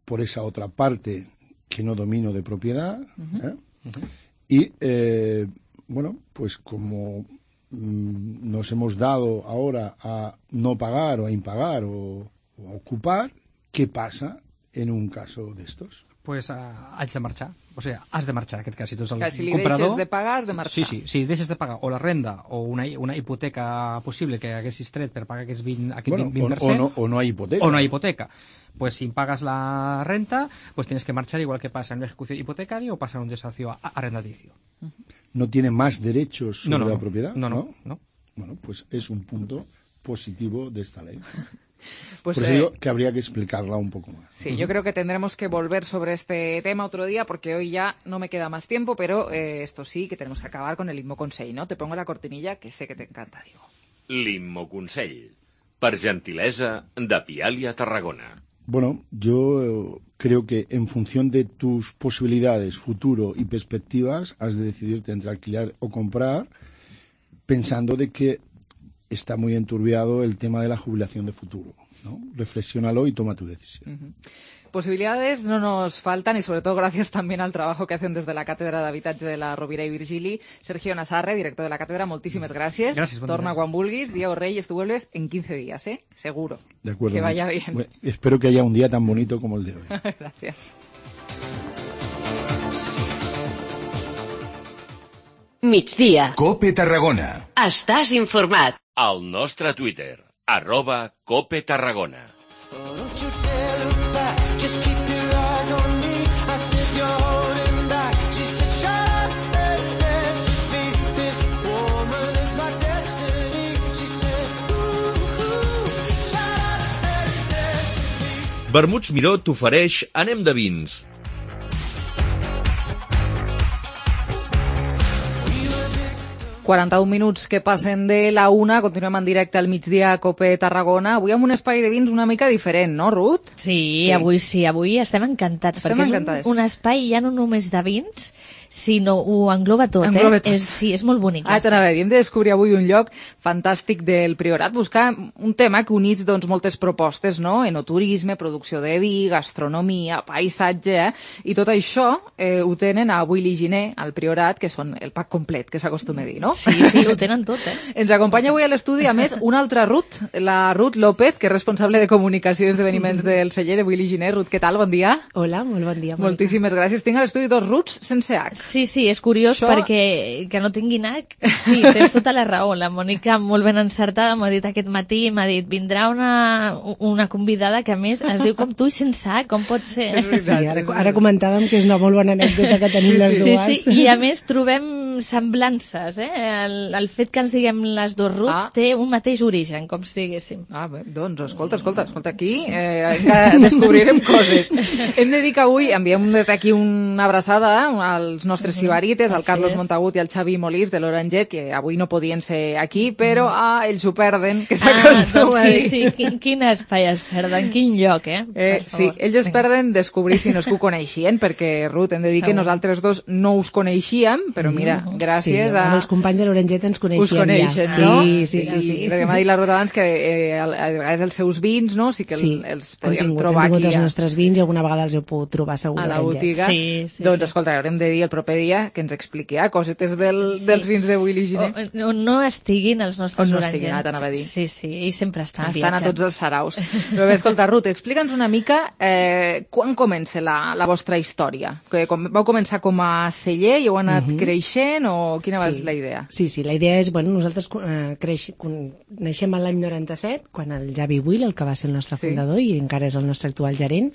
por esa otra parte que no domino de propiedad, uh-huh. ¿eh? Uh-huh. Y, eh, bueno, pues como mm, nos hemos dado ahora a no pagar o a impagar o, o a ocupar, ¿qué pasa en un caso de estos? Pues uh, haig de marxar. O sigui, has de marxar, en aquest cas. Si tu ets el que si li comprador, deixes de pagar, has de marxar. Sí, sí, si deixes de pagar o la renda o una, una hipoteca possible que haguessis tret per pagar aquest vint, aquest bueno, vint per cent... O, o, no, o no hay hipoteca. O no hay hipoteca. Pues si pagas la renta, pues tienes que marchar igual que pasa en una ejecución hipotecaria o pasa en un desahucio arrendaticio. ¿No tiene más derechos sobre no, no, la propiedad? No, no, no, no. Bueno, pues es un punto positivo de esta ley. Pues, Por eso eh, digo que habría que explicarla un poco más. Sí, uh-huh. Yo creo que tendremos que volver sobre este tema otro día, porque hoy ya no me queda más tiempo, pero eh, esto sí, que tenemos que acabar con el Immoconsell, ¿no? Te pongo la cortinilla, que sé que te encanta, Diego. L'Immoconsell, per gentilesa de Pialia Tarragona. Bueno, yo creo que en función de tus posibilidades, futuro y perspectivas, has de decidirte entre alquilar o comprar, pensando de que está muy enturbiado el tema de la jubilación de futuro, ¿no? Reflexiónalo y toma tu decisión. Uh-huh. Posibilidades no nos faltan, y sobre todo gracias también al trabajo que hacen desde la Cátedra d'Habitatge de la Rovira i Virgili. Sergio Nassarre, director de la cátedra, moltíssimes gràcies. Gràcies, bon Torna dia. quan vulguis. Diego Reyes, tú vuelves en quince días, ¿eh? Seguro. De acuerdo. Que vaya mucho. bien. Bueno, espero que haya un día tan bonito como el de hoy. Gracias. Migdia. Cope Tarragona. Estàs informat. Al nostre Twitter, arroba Cope Tarragona. Vermuts Miró t'ofereix Anem de vins. quaranta-un minuts que passen de la una, continuem en directe al migdia a Cope Tarragona, avui amb un espai de vins una mica diferent, no, Ruth? Sí, sí. avui sí, avui estem encantats, estem perquè encantades. és un, un espai ja no només de vins, sinó ho engloba tot, engloba eh? tot. És, sí, és molt bonic. Ah, t'anava a dir, hem de descobrir avui un lloc fantàstic del Priorat, buscar un tema que unís doncs, moltes propostes, no? Enoturisme, producció de vi, gastronomia, paisatge, eh? I tot això eh, ho tenen a Avui Liginer, al Priorat, que són el pack complet, que s'acostuma a dir, no? Sí, sí, ho tenen tot, eh? Ens acompanya avui a l'estudi, a més, una altra Ruth, la Ruth López, que és responsable de comunicació i esdeveniments del celler d'Avui Liginer. Ruth, què tal? Bon dia. Hola, molt bon dia. Moltíssimes gràcies. Tinc a l'estudi dos Ruths sense H. Sí, sí, és curiós Això... perquè que no tinguin H. Sí, tens tota la raó. La Mònica, molt ben encertada, m'ha dit aquest matí, m'ha dit, vindrà una, una convidada que a més es diu com tu i sense H, com pot ser? Sí, ara, ara comentàvem que és una molt bona anècdota que tenim sí, les sí, dues. Sí, sí, i a més trobem semblances, eh? El, el fet que ens diguem les dos Ruths Ah. té un mateix origen, com si diguéssim. Ah, bé, doncs, escolta, escolta, escolta, aquí eh, encara descobrirem coses. Hem de dir que avui enviem des d'aquí una abraçada als nostres sibarites, al Així Carlos és. Montagut i al Xavi Molís de l'Oranget, que avui no podien ser aquí, però ah, ells ho perden, que Ah, s'acostuma doncs a sí, dir. sí, quin, quin espai es perden, quin lloc, eh? Eh, Per sí, favor. ells es perden descobrir si no és que ho coneixien, perquè, Ruth, hem de dir que Segur. nosaltres dos no us coneixíem, però mira, gràcies sí, a... els companys de l'Oranget ens coneixíem Us coneixen, ja. no? Sí, sí, sí. sí. Perquè m'ha dit la Ruth abans que eh, a vegades els seus vins, no? Sí que el, Sí, els hem podíem tingut, trobar hem tingut aquí els a, nostres vins i alguna vegada els heu pogut trobar segur a la l'Oranget. botiga. Sí, sí, doncs, sí. escolta, haurem de dir el proper dia que ens expliqui ah, cosetes del, Sí. dels vins de Willy Giner. O, no, no estiguin els nostres On no Oranget. estiguin, ara t'anava a dir. Sí, sí, i sempre estan, Estan a viatjant. tots els saraus. Però bé, escolta, Ruth, explica'ns una mica eh, quan comença la, la vostra història. Que com, vau començar com a celler i heu anat Mhm. creixent o quina va Sí. ser la idea? Sí, sí, la idea és, bueno, nosaltres eh, creix, con, naixem a l'any noranta-set, quan el Javi Will, el que va ser el nostre Sí. fundador i encara és el nostre actual gerent,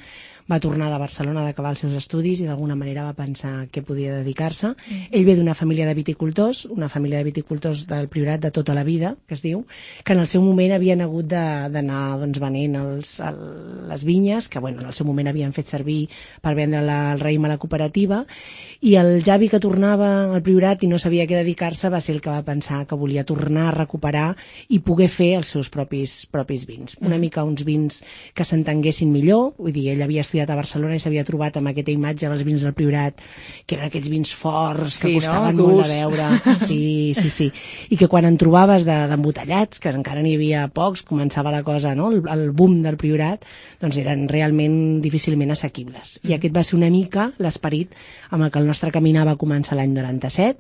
va tornar de Barcelona d'acabar els seus estudis i d'alguna manera va pensar què podia dedicar-se. Mm. Ell ve d'una família de viticultors, una família de viticultors del Priorat de tota la vida, que es diu, que en el seu moment havien hagut de- d'anar doncs, venent els, el, les vinyes, que bueno, en el seu moment havien fet servir per vendre la, el raïm a la cooperativa, i el Javi, que tornava al Priorat i no sabia què dedicar-se, va ser el que va pensar que volia tornar a recuperar i poder fer els seus propis, propis vins. Una Mm. mica uns vins que s'entenguessin millor, vull dir, ell havia estudiat a Barcelona i s'havia trobat amb aquesta imatge dels vins del Priorat, que eren aquests vins forts, que Sí, no? costaven Durs. molt de veure. Sí, sí, sí. I que quan en trobaves de- d'embotellats, que encara n'hi havia pocs, començava la cosa, no?, el, el boom del Priorat, doncs eren realment difícilment assequibles. I aquest va ser una mica l'esperit amb el que el nostre caminar va començar l'any noranta-set.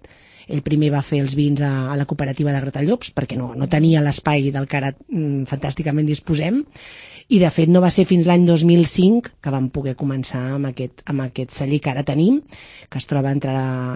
Ell primer va fer els vins a, a la cooperativa de Gratallops, perquè no, no tenia l'espai del que ara mm, fantàsticament disposem, i de fet no va ser fins l'any dos mil cinc que vam poder començar amb aquest, amb aquest celler que ara tenim, que es troba entre,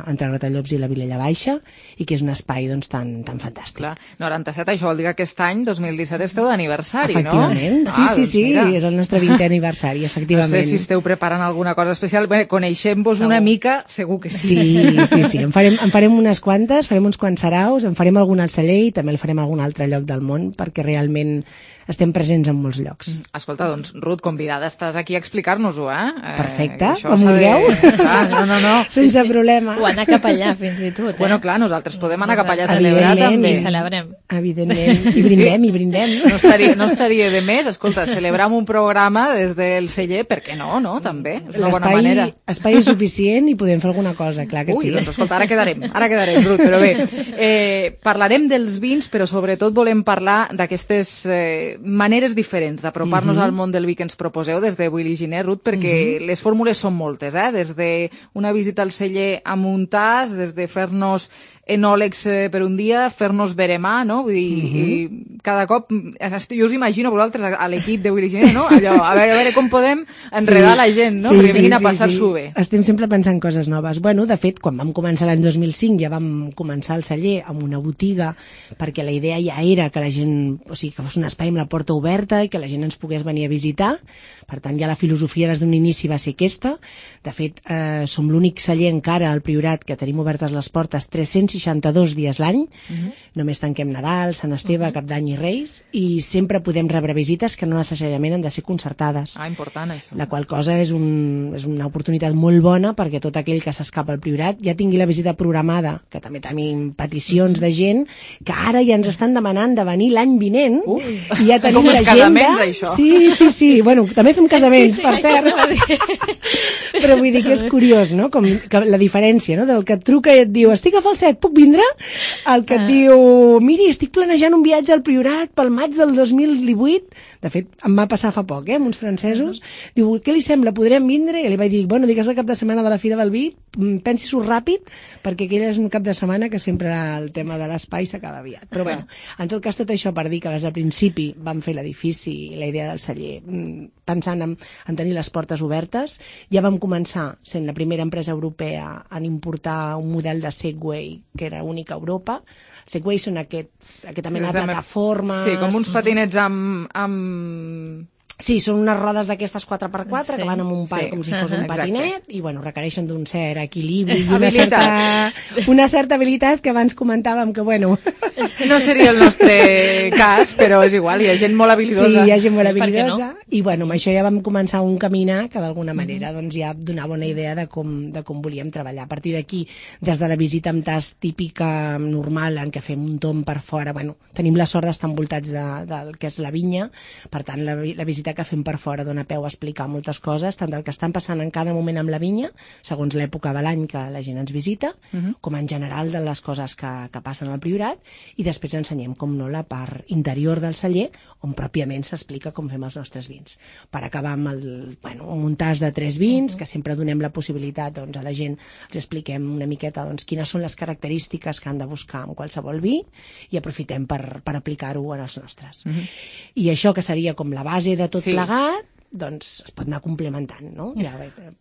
entre Gratallops i la Vilella Baixa, i que és un espai doncs, tan, tan fantàstic. Clar, noranta-set, això vol dir que aquest any, dos mil disset, esteu d'aniversari, no? Efectivament, sí, Ah, sí, doncs sí, mira. és el nostre vintè aniversari, No efectivament. sé si esteu preparant alguna cosa especial. Bé, coneixem-vos una mica, segur que sí. Sí, sí, sí, en farem, en farem unes quantes, farem uns quants saraus, en farem algun al celler i també el farem a algun altre lloc del món, perquè realment estem presents en molts llocs. Escolta, doncs, Ruth, convidada estàs aquí a explicar-nos-ho, eh? Perfecte, Eh, això com s'ha de- vulgueu. Clar, no, no, no. Sense problema. O anar cap allà, fins i tot, eh? Bueno, clar, nosaltres podem anar cap allà a celebrar Evidentment, també. I celebrem. Evidentment, i brindem, i brindem. No estaria, no estaria de més, escolta, celebrar un programa des del celler, per què no, no, també? És una bona L'espai manera. espai és suficient i podem fer alguna cosa, clar que Ui, sí. doncs escolta, ara quedarem, ara quedarem, Ruth, però bé, eh, parlarem dels vins, però sobretot volem parlar d'aquestes eh, maneres diferents d'apropar-nos Mhm. al món del vi que ens proposeu des de Willy Giner, Ruth, perquè Mhm. les fórmules són moltes, eh? Des de una visita al celler amb un tas, des de fer-nos enòlegs eh, per un dia, fer-nos veremà, no? Vull dir, Mhm. i cada cop, jo us imagino vosaltres a, a l'equip de Willy Giner, no? Allò, a veure, a veure com podem enredar la gent, no? Perquè vinguin a passar-s'ho bé. Estem sempre pensant coses noves. Bueno, de fet, quan vam començar l'any dos mil cinc ja vam començar el celler amb una botiga, perquè la idea ja era que la gent, o sigui, que fos un espai amb la porta oberta i que la gent ens pogués venir a visitar. Per tant, ja la filosofia des d'un inici va ser aquesta. De fet, eh, som l'únic celler encara al Priorat que tenim obertes les portes tres-cents seixanta-dos dies l'any. Mhm. Només tanquem Nadal, Sant Esteve, Cap d'Any i Reis, i sempre podem rebre visites que no necessàriament han de ser concertades. Ah, important, això. La qual cosa és, un, és una oportunitat molt bona perquè tot aquell que s'escapa al Priorat ja tingui la visita programada, que també tenim peticions de gent que ara ja ens estan demanant de venir l'any vinent. Uf, i ja tenim com els l'agenda. casaments, això. Sí, sí, sí. Bueno, també fem casaments, Sí, sí, per això cert. anava a dir. Però vull dir que és curiós, no? Com que la diferència, no? Del que et truca i et diu estic a Falset, puc vindre? El que et Ah. diu miri, estic planejant un viatge al Priorat pel maig del dos mil divuit. De fet, em va passar fa poc, eh, amb uns francesos. Diu, què li sembla, podrem vindre? I li vaig dir, bueno, digues el cap de setmana de la Fira del Vi, mm, pensi-s'ho ràpid, perquè aquell és un cap de setmana que sempre el tema de l'espai s'acaba aviat. Però bueno, en tot cas, tot això per dir que des del principi vam fer l'edifici i la idea del celler mm, pensant en, en tenir les portes obertes. Ja vam començar sent la primera empresa europea en importar un model de Segway que era únic a Europa. Segway són aquests, aquesta mena de Sí, plataformes... Sí, com uns patinets amb, amb Sí, són unes rodes d'aquestes quatre per quatre Sí. que van amb un pal Sí. com si fos un Exacte. patinet i bueno, requereixen d'un cert equilibri i una certa, una certa habilitat que abans comentàvem que bueno... No seria el nostre cas, però és igual, hi ha gent molt habilidosa. Sí, hi ha gent molt Sí, per què habilidosa no? i bueno, amb això ja vam començar un caminar que d'alguna manera doncs, ja donava una idea de com, de com volíem treballar. A partir d'aquí, des de la visita amb tast típica normal en què fem un tomb per fora, bueno, tenim la sort d'estar envoltats de, del que és la vinya, per tant la, la visita que fem per fora dona peu a explicar moltes coses, tant del que estan passant en cada moment amb la vinya, segons l'època de l'any que la gent ens visita, Mhm. com en general de les coses que, que passen al Priorat, i després ensenyem, com no, la part interior del celler, on pròpiament s'explica com fem els nostres vins. Per acabar amb el, bueno, un muntàs de tres vins, que sempre donem la possibilitat doncs, a la gent, els expliquem una miqueta doncs, quines són les característiques que han de buscar en qualsevol vi, i aprofitem per, per aplicar-ho en els nostres. Mhm. I això que seria com la base de tot Sí. plegat, doncs es pot anar complementant, no? Ja,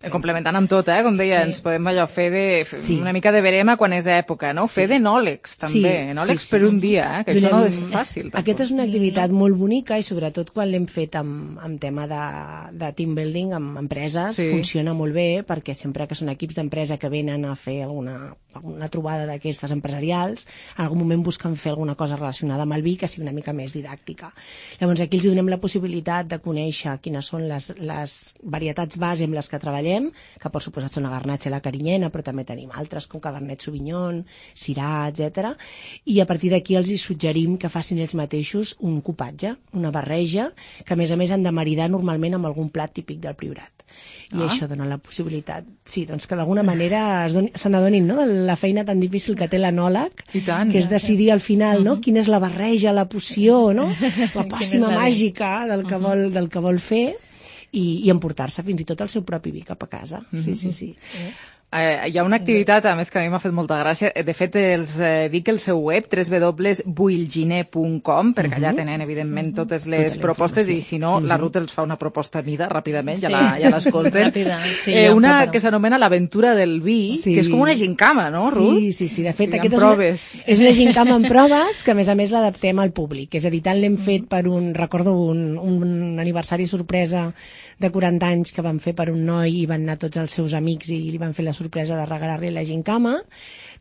Eh, Complementant amb tot, eh? Com deia, Sí. ens podem allò fer de, fer Sí. una mica de verema quan és època, no? Fer d'enòlegs, també. Sí, Enòlegs sí, sí. per un dia, eh? Que això no és fàcil. Tampoc. Aquesta és una activitat molt bonica i sobretot quan l'hem fet amb, amb tema de, de team building amb empreses, Sí. funciona molt bé perquè sempre que són equips d'empresa que venen a fer alguna, alguna trobada d'aquestes empresarials, en algun moment busquen fer alguna cosa relacionada amb el vi que sigui una mica més didàctica. Llavors aquí els donem la possibilitat de conèixer quines són les, les varietats base amb les que treballem, que per suposat són la Garnatxa i la Carinyena, però també tenim altres com Cabernet Sauvignon, Syrah, etcètera. I a partir d'aquí els hi suggerim que facin ells mateixos un cupatge, una barreja, que a més a més han de maridar normalment amb algun plat típic del Priorat. I Ah. això dona la possibilitat, sí, doncs que d'alguna manera es doni- se n'adonin, no?, de la feina tan difícil que té l'enòleg, I tant. que és decidir al final, no?, quina és la barreja, la poció, no?, la pòssima la- màgica del que vol, del que vol fer, i, i emportar-se fins i tot el seu propi vi cap a casa. Sí, sí, sí. Eh, hi ha una activitat, a més, que a mi m'ha fet molta gràcia. De fet, els eh, dic el seu web, w w w punt builginer punt com, perquè allà tenen, evidentment, totes les Tota la propostes, i informació. si no, la Mhm. Ruth els fa una proposta a mida ràpidament, ja Sí. la- ja l'escolten. Ràpida, sí, eh, jo em una preparo. que s'anomena l'aventura del vi, Sí. que és com una gincama, no, Ruth? Sí, sí, sí. De fet, I amb aquest és una, proves. és una gincama amb proves que, a més a més, l'adaptem al públic. És a dir, tant l'hem fet per un... Recordo un, un aniversari sorpresa de quaranta anys que van fer per un noi i van anar tots els seus amics i li van fer la sorpresa de regalar-li la gincama.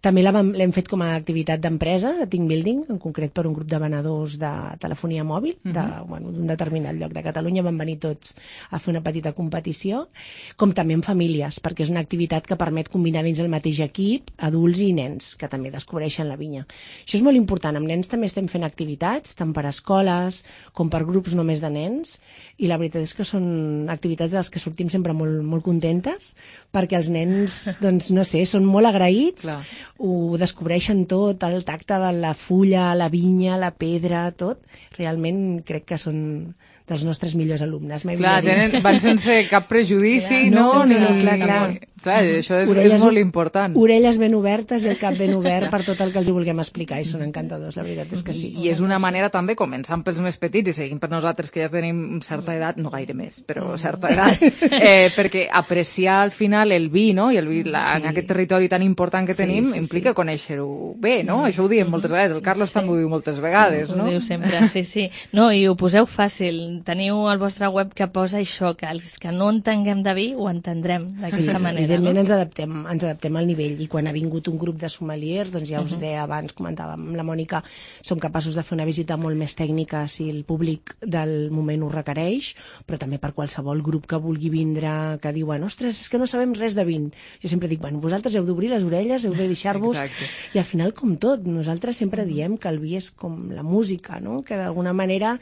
També la vam- l'hem fet com a activitat d'empresa, de team building, en concret per un grup de venedors de telefonia mòbil, de, Mhm. bueno, d'un determinat lloc de Catalunya. Van venir tots a fer una petita competició, com també en famílies, perquè és una activitat que permet combinar dins el mateix equip adults i nens, que també descobreixen la vinya. Això és molt important. Amb nens també estem fent activitats, tant per escoles com per grups només de nens, i la veritat és que són activitats de les que sortim sempre molt, molt contentes, perquè els nens, doncs, no sé, són molt agraïts, Clar. ho descobreixen tot, el tacte de la fulla, la vinya, la pedra, tot. Realment crec que són dels nostres millors alumnes. Mai Clar, millor dit. tenen, van sense cap prejudici, Clar, no? no, no, no, Ni- clar, clar. Clar, això és, Orelles- és molt important. Orelles ben obertes i el cap ben obert per tot el que els hi vulguem explicar, i són encantadors, la veritat és que sí. I és una manera també, començant pels més petits i seguint per nosaltres que ja tenim certa edat, no gaire més, però certa edat, eh, perquè apreciar al final el vi, no?, i el vi la, en aquest territori tan important que Sí, tenim, sí, implica conèixer-ho bé, no? Això ho diem moltes vegades, el Carlos també ho diu moltes vegades, no? Ho diu sempre, sí, sí. No, i ho poseu fàcil. Teniu al vostre web que posa això, que els que no entenguem de vi ho entendrem d'aquesta Sí, manera, evidentment no? ens adaptem, ens adaptem al nivell, i quan ha vingut un grup de sommeliers, doncs ja us Mhm. deia abans, comentàvem amb la Mònica, som capaços de fer una visita molt més tècnica si el públic del moment ho requereix, però també per qualsevol grup que vulgui vindre, que diuen, ostres, és que no sabem res de vin. Jo sempre dic, bueno, vosaltres heu d'obrir les orelles, heu de deixar-vos, Exacte. i al final, com tot, nosaltres sempre diem que el vi és com la música, no?, que d'alguna manera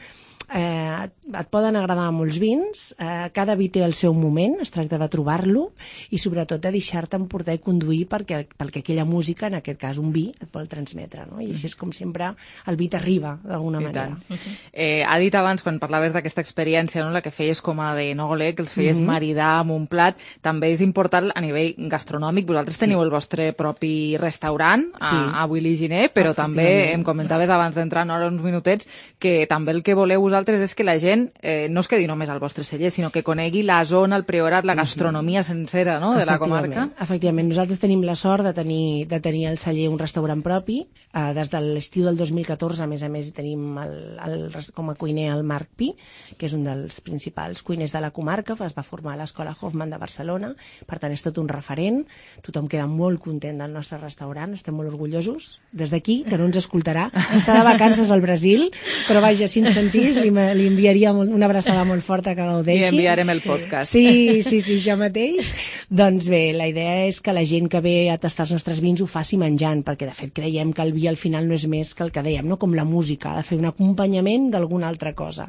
eh, et poden agradar molts vins, eh, cada vi té el seu moment, es tracta de trobar-lo, i sobretot de deixar-te emportar i conduir perquè, perquè aquella música, en aquest cas un vi, et vol transmetre, no? I així és com sempre el vi t'arriba d'alguna I manera. tant. Eh, ha dit abans, quan parlaves d'aquesta experiència, no, la que feies com a d'enòleg, que els feies Mhm. maridar amb un plat, també és important a nivell gastronòmic. Vosaltres teniu el vostre propi restaurant a, Sí. a Willy Giner, però també Efectivament. em comentaves abans d'entrar en hora uns minutets que també el que voleu vosaltres és que la gent eh, no es quedi només al vostre celler, sinó que conegui la zona, el Priorat, la gastronomia sencera, no?, de la comarca. Efectivament, nosaltres tenim la sort de tenir, de tenir al celler un restaurant propi. Eh, des de l'estiu del dos mil catorze, a més a més, tenim el, el, com a cuiner el Marc Pi, que és un dels principals cuiners de la comarca, es va formar a l'Escola Hoffman de Barcelona, per tant és tot un referent, tothom queda molt content del nostre restaurant, estem molt orgullosos. Des d'aquí, que no ens escoltarà, està de vacances al Brasil, però vaja, si ens sentís, li, li enviaria una abraçada molt forta que gaudeixi. I enviarem el podcast. Sí, sí, sí, jo mateix. Doncs bé, la idea és que la gent que ve a tastar els nostres vins ho faci menjant, perquè de fet creiem que el vi al final no és més que el que dèiem, no? Com la música, ha de fer un acompanyament d'alguna altra cosa.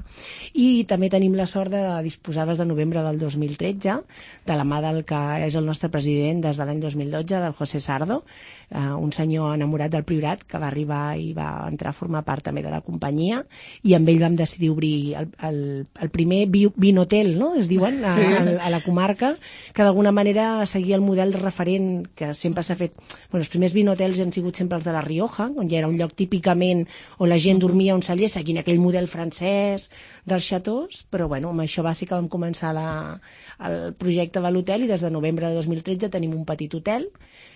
I també tenim la sort de disposar des de novembre del dos mil tretze, de la mà del que és el nostre president des de l'any dos mil dotze, del José Sardo, Uh, un senyor enamorat del Priorat que va arribar i va entrar a formar part també de la companyia, i amb ell vam decidir obrir el, el, el primer vi, vinotel, no?, es diuen, a, sí. a, a la comarca, que d'alguna manera seguia el model referent que sempre s'ha fet. Bueno, els primers vinotels han sigut sempre els de la Rioja, on ja era un lloc típicament on la gent dormia a un celler seguint aquell model francès dels xatós, però bueno, amb això va ser que vam començar la, el projecte de l'hotel, i des de novembre de dos mil tretze tenim un petit hotel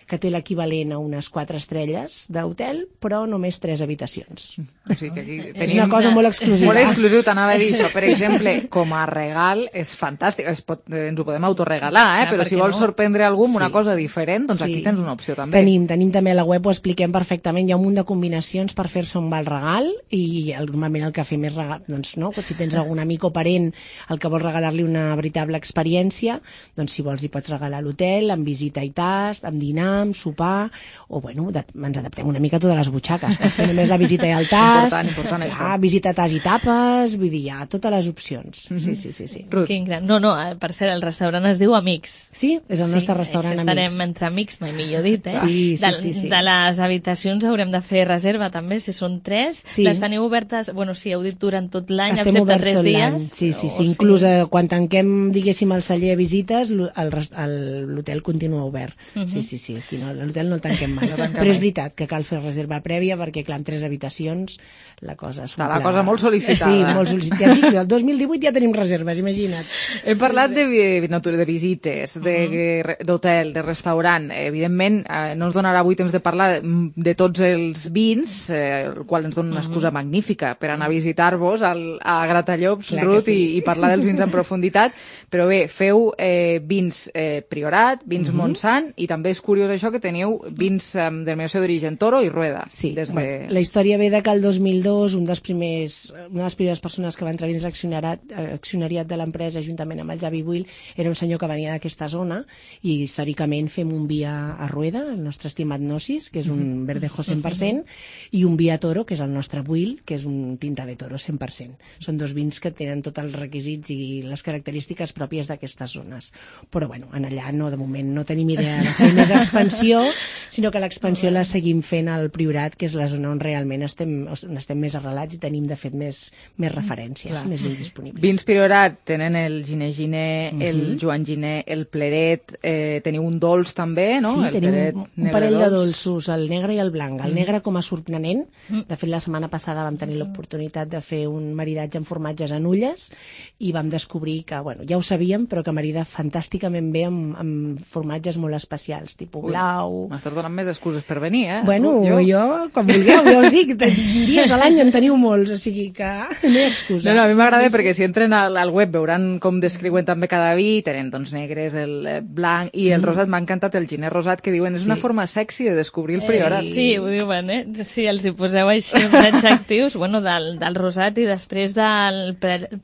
que té l'equivalent a unes quatre estrelles d'hotel, però només tres habitacions. O sigui que aquí tenim... És una cosa molt exclusiva. Molt exclusiu, t'anava a dir això. Per exemple, com a regal és fantàstic. Es pot, ens ho podem autoregalar, eh? Ah, però si vols no? sorprendre algú amb sí. una cosa diferent, doncs sí. aquí tens una opció també. Tenim, tenim també a la web, ho expliquem perfectament, hi ha un munt de combinacions per fer-se un val regal, i normalment el que fem és regal, doncs no, si tens algun amic o parent el que vols regalar-li una veritable experiència, doncs si vols hi pots regalar l'hotel, amb visita i tast, amb dinar, amb sopar, o bueno, de, ens adaptem una mica a totes les butxaques. Pots fer només la visita i el tas, important, important, ah, visita, tas i tapes, vull dir, hi ha totes les opcions. Mm -hmm. Sí, sí, sí. sí. Quin gran... No, no, per cert, el restaurant es diu Amics. Sí, és el sí, nostre restaurant Amics. Estarem entre amics, mai millor dit, eh? Sí, sí, de, sí, sí. De les habitacions haurem de fer reserva també, si són tres. Sí. Les teniu obertes, bueno, sí, heu dit durant tot l'any, excepte oberts tres tot dies. Sí, sí, sí. Inclús eh, quan tanquem, diguéssim, el celler a visites, l'hotel continua obert. Uh -huh. Sí, sí, sí. Aquí no, l'hotel no el tanquem mai. No tanquem però és veritat que cal fer reserva prèvia perquè, clar, amb tres habitacions la cosa s'omple. Està la cosa molt sol·licitada. Sí, molt sol·licitada. Ja dic, el dos mil divuit ja tenim reserves, imagina't. Hem parlat de, de visites, d'hotel, de, de restaurant. Evidentment, eh, no ens donarà avui temps de parlar de, de tots els vins, eh, el qual ens dona una excusa magnífica per anar a visitar-vos al, a Gratallops, clar Ruth, sí. i, i parlar dels vins en profunditat. Però bé, feu eh, vins eh, Priorat, vins uh -huh. Montsant, i també és curiós això que teniu vins eh, de denominació d'origen Toro i Rueda. Sí, des de... bueno, la història ve de que el dos mil dos un dels primers, una de les primeres persones que va entrar dins l'accionariat accionariat de l'empresa, juntament amb el Javi Buil, era un senyor que venia d'aquesta zona, i històricament fem un vi a, a Rueda, el nostre estimat Gnosis, que és un verdejo cent per cent, i un vi a Toro, que és el nostre Buil, que és un tinta de Toro cent per cent. Són dos vins que tenen tots els requisits i les característiques pròpies d'aquestes zones. Però bueno, en allà no, de moment no tenim idea de fer més expansió, sinó que l'expansió la seguim fent al Priorat, que és la zona on realment estem, on estem més arrelats i tenim, de fet, més, més referències, Clar. més vins disponibles. Vins Priorat tenen el Giner Giner, uh -huh. el Joan Giner, el Pleret, eh, teniu un dolç també, no? Sí, el tenim Pleret, un, un parell dolç. de dolços, el negre i el blanc. El negre com a sorprenent, de fet la setmana passada vam tenir l'oportunitat de fer un maridatge amb formatges en ulles i vam descobrir que, bueno, ja ho sabíem, però que marida fantàsticament bé amb, amb formatges molt especials, tipus blau. M'estàs donant més excuses per venir, eh? Bueno, jo, jo quan vulgueu, ja us dic, dies a l'any en teniu molts, o sigui que no hi ha excusa. No, no, a mi m'agrada sí, perquè sí. si entren al, al web veuran com descriuen també cada vi, tenen doncs negres, el blanc i el mm. rosat. M'ha encantat el giner rosat, que diuen és sí. una forma sexy de descobrir el Priorat. Sí, sí, ho diuen, eh? Si els hi poseu així uns adjectius, bueno, del, del rosat, i després del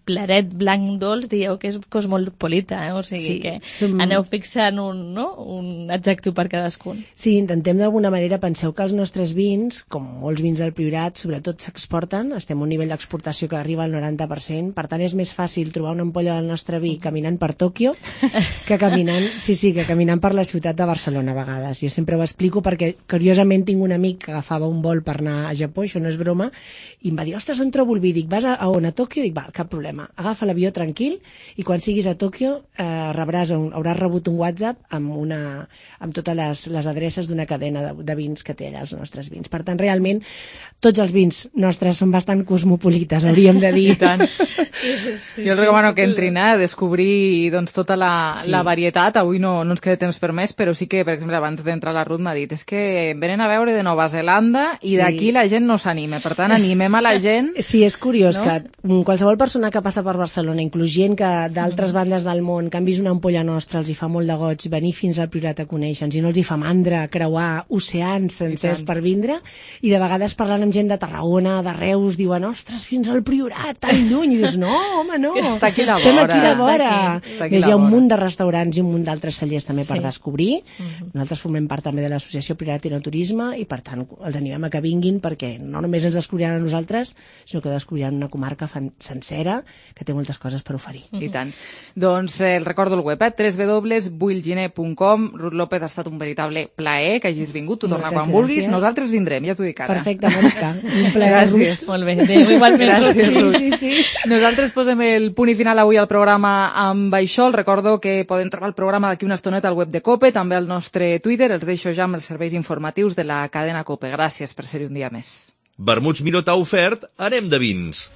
Pleret blanc dolç dieu que és cosmopolita, eh? O sigui sí, que som... aneu fixant un, no? un adjectiu per cadascun. Sí, intentem d'alguna manera, penseu que els nostres vins, com molts vins del Priorat, sobretot s'exporten, estem a un nivell d'exportació que arriba al noranta per cent, per tant és més fàcil trobar una ampolla del nostre vi caminant per Tòquio que caminant, sí, sí, que caminant per la ciutat de Barcelona a vegades. Jo sempre ho explico perquè, curiosament, tinc un amic que agafava un vol per anar a Japó, això no és broma, i em va dir, ostres, on trobo el vi? Dic, vas a, a on? A Tòquio? Dic, va, cap problema. Agafa l'avió tranquil i quan siguis a Tòquio eh, rebràs un, hauràs rebut un WhatsApp amb, una, amb totes les, les adreces d'una cadena de, de vins que té allà els nostres vins. Per tant, realment, tots els vins nostres són bastant cosmopolites, hauríem hauríem de dir. I tant. Sí, jo els recomano que entrin a descobrir doncs, tota la, sí. la varietat. Avui no, no ens queda temps per més, però sí que, per exemple, abans d'entrar la Ruth m'ha dit és que venen a veure de Nova Zelanda i sí. d'aquí la gent no s'anima. Per tant, animem a la gent. Sí, és curiós no? que qualsevol persona que passa per Barcelona, inclús gent que d'altres bandes del món, que han vist una ampolla nostra, els hi fa molt de goig venir fins al Priorat a conèixer-nos, i no els hi fa mandra creuar oceans sencers per vindre, i de vegades parlant amb gent de Tarragona, de Reus, diuen, ostres, fins al Priorat, tan lluny, i dius, no, home, no, que està aquí a la estem vora. aquí a la vora. Està aquí Més, la hi ha un vora. munt de restaurants i un munt d'altres cellers també per Sí. descobrir. Mhm. Nosaltres formem part també de l'associació Priorat i no Turisme, i per tant els animem a que vinguin, perquè no només ens descobriran a nosaltres, sinó que descobriran una comarca fan sencera que té moltes coses per oferir. I tant. Doncs eh, el recordo el web, eh? w w w punt builginer punt com. Ruth López, ha estat un veritable plaer que hagis vingut. Tu torna Moltes quan vulguis. gràcies. Nosaltres vindrem, ja t'ho dic ara. Perfecte, Mònica. Un plaer. Gràcies. Molt bé. Adéu, igualment. Gràcies, Sí, Ruth. sí, sí. Nosaltres posem el punt i final avui al programa amb això. Els recordo que poden trobar el programa d'aquí una estoneta al web de COPE, també al nostre Twitter. Els deixo ja amb els serveis informatius de la cadena COPE. Gràcies per ser-hi un dia més. Vermuts Miró t'ha ofert Anem de vins.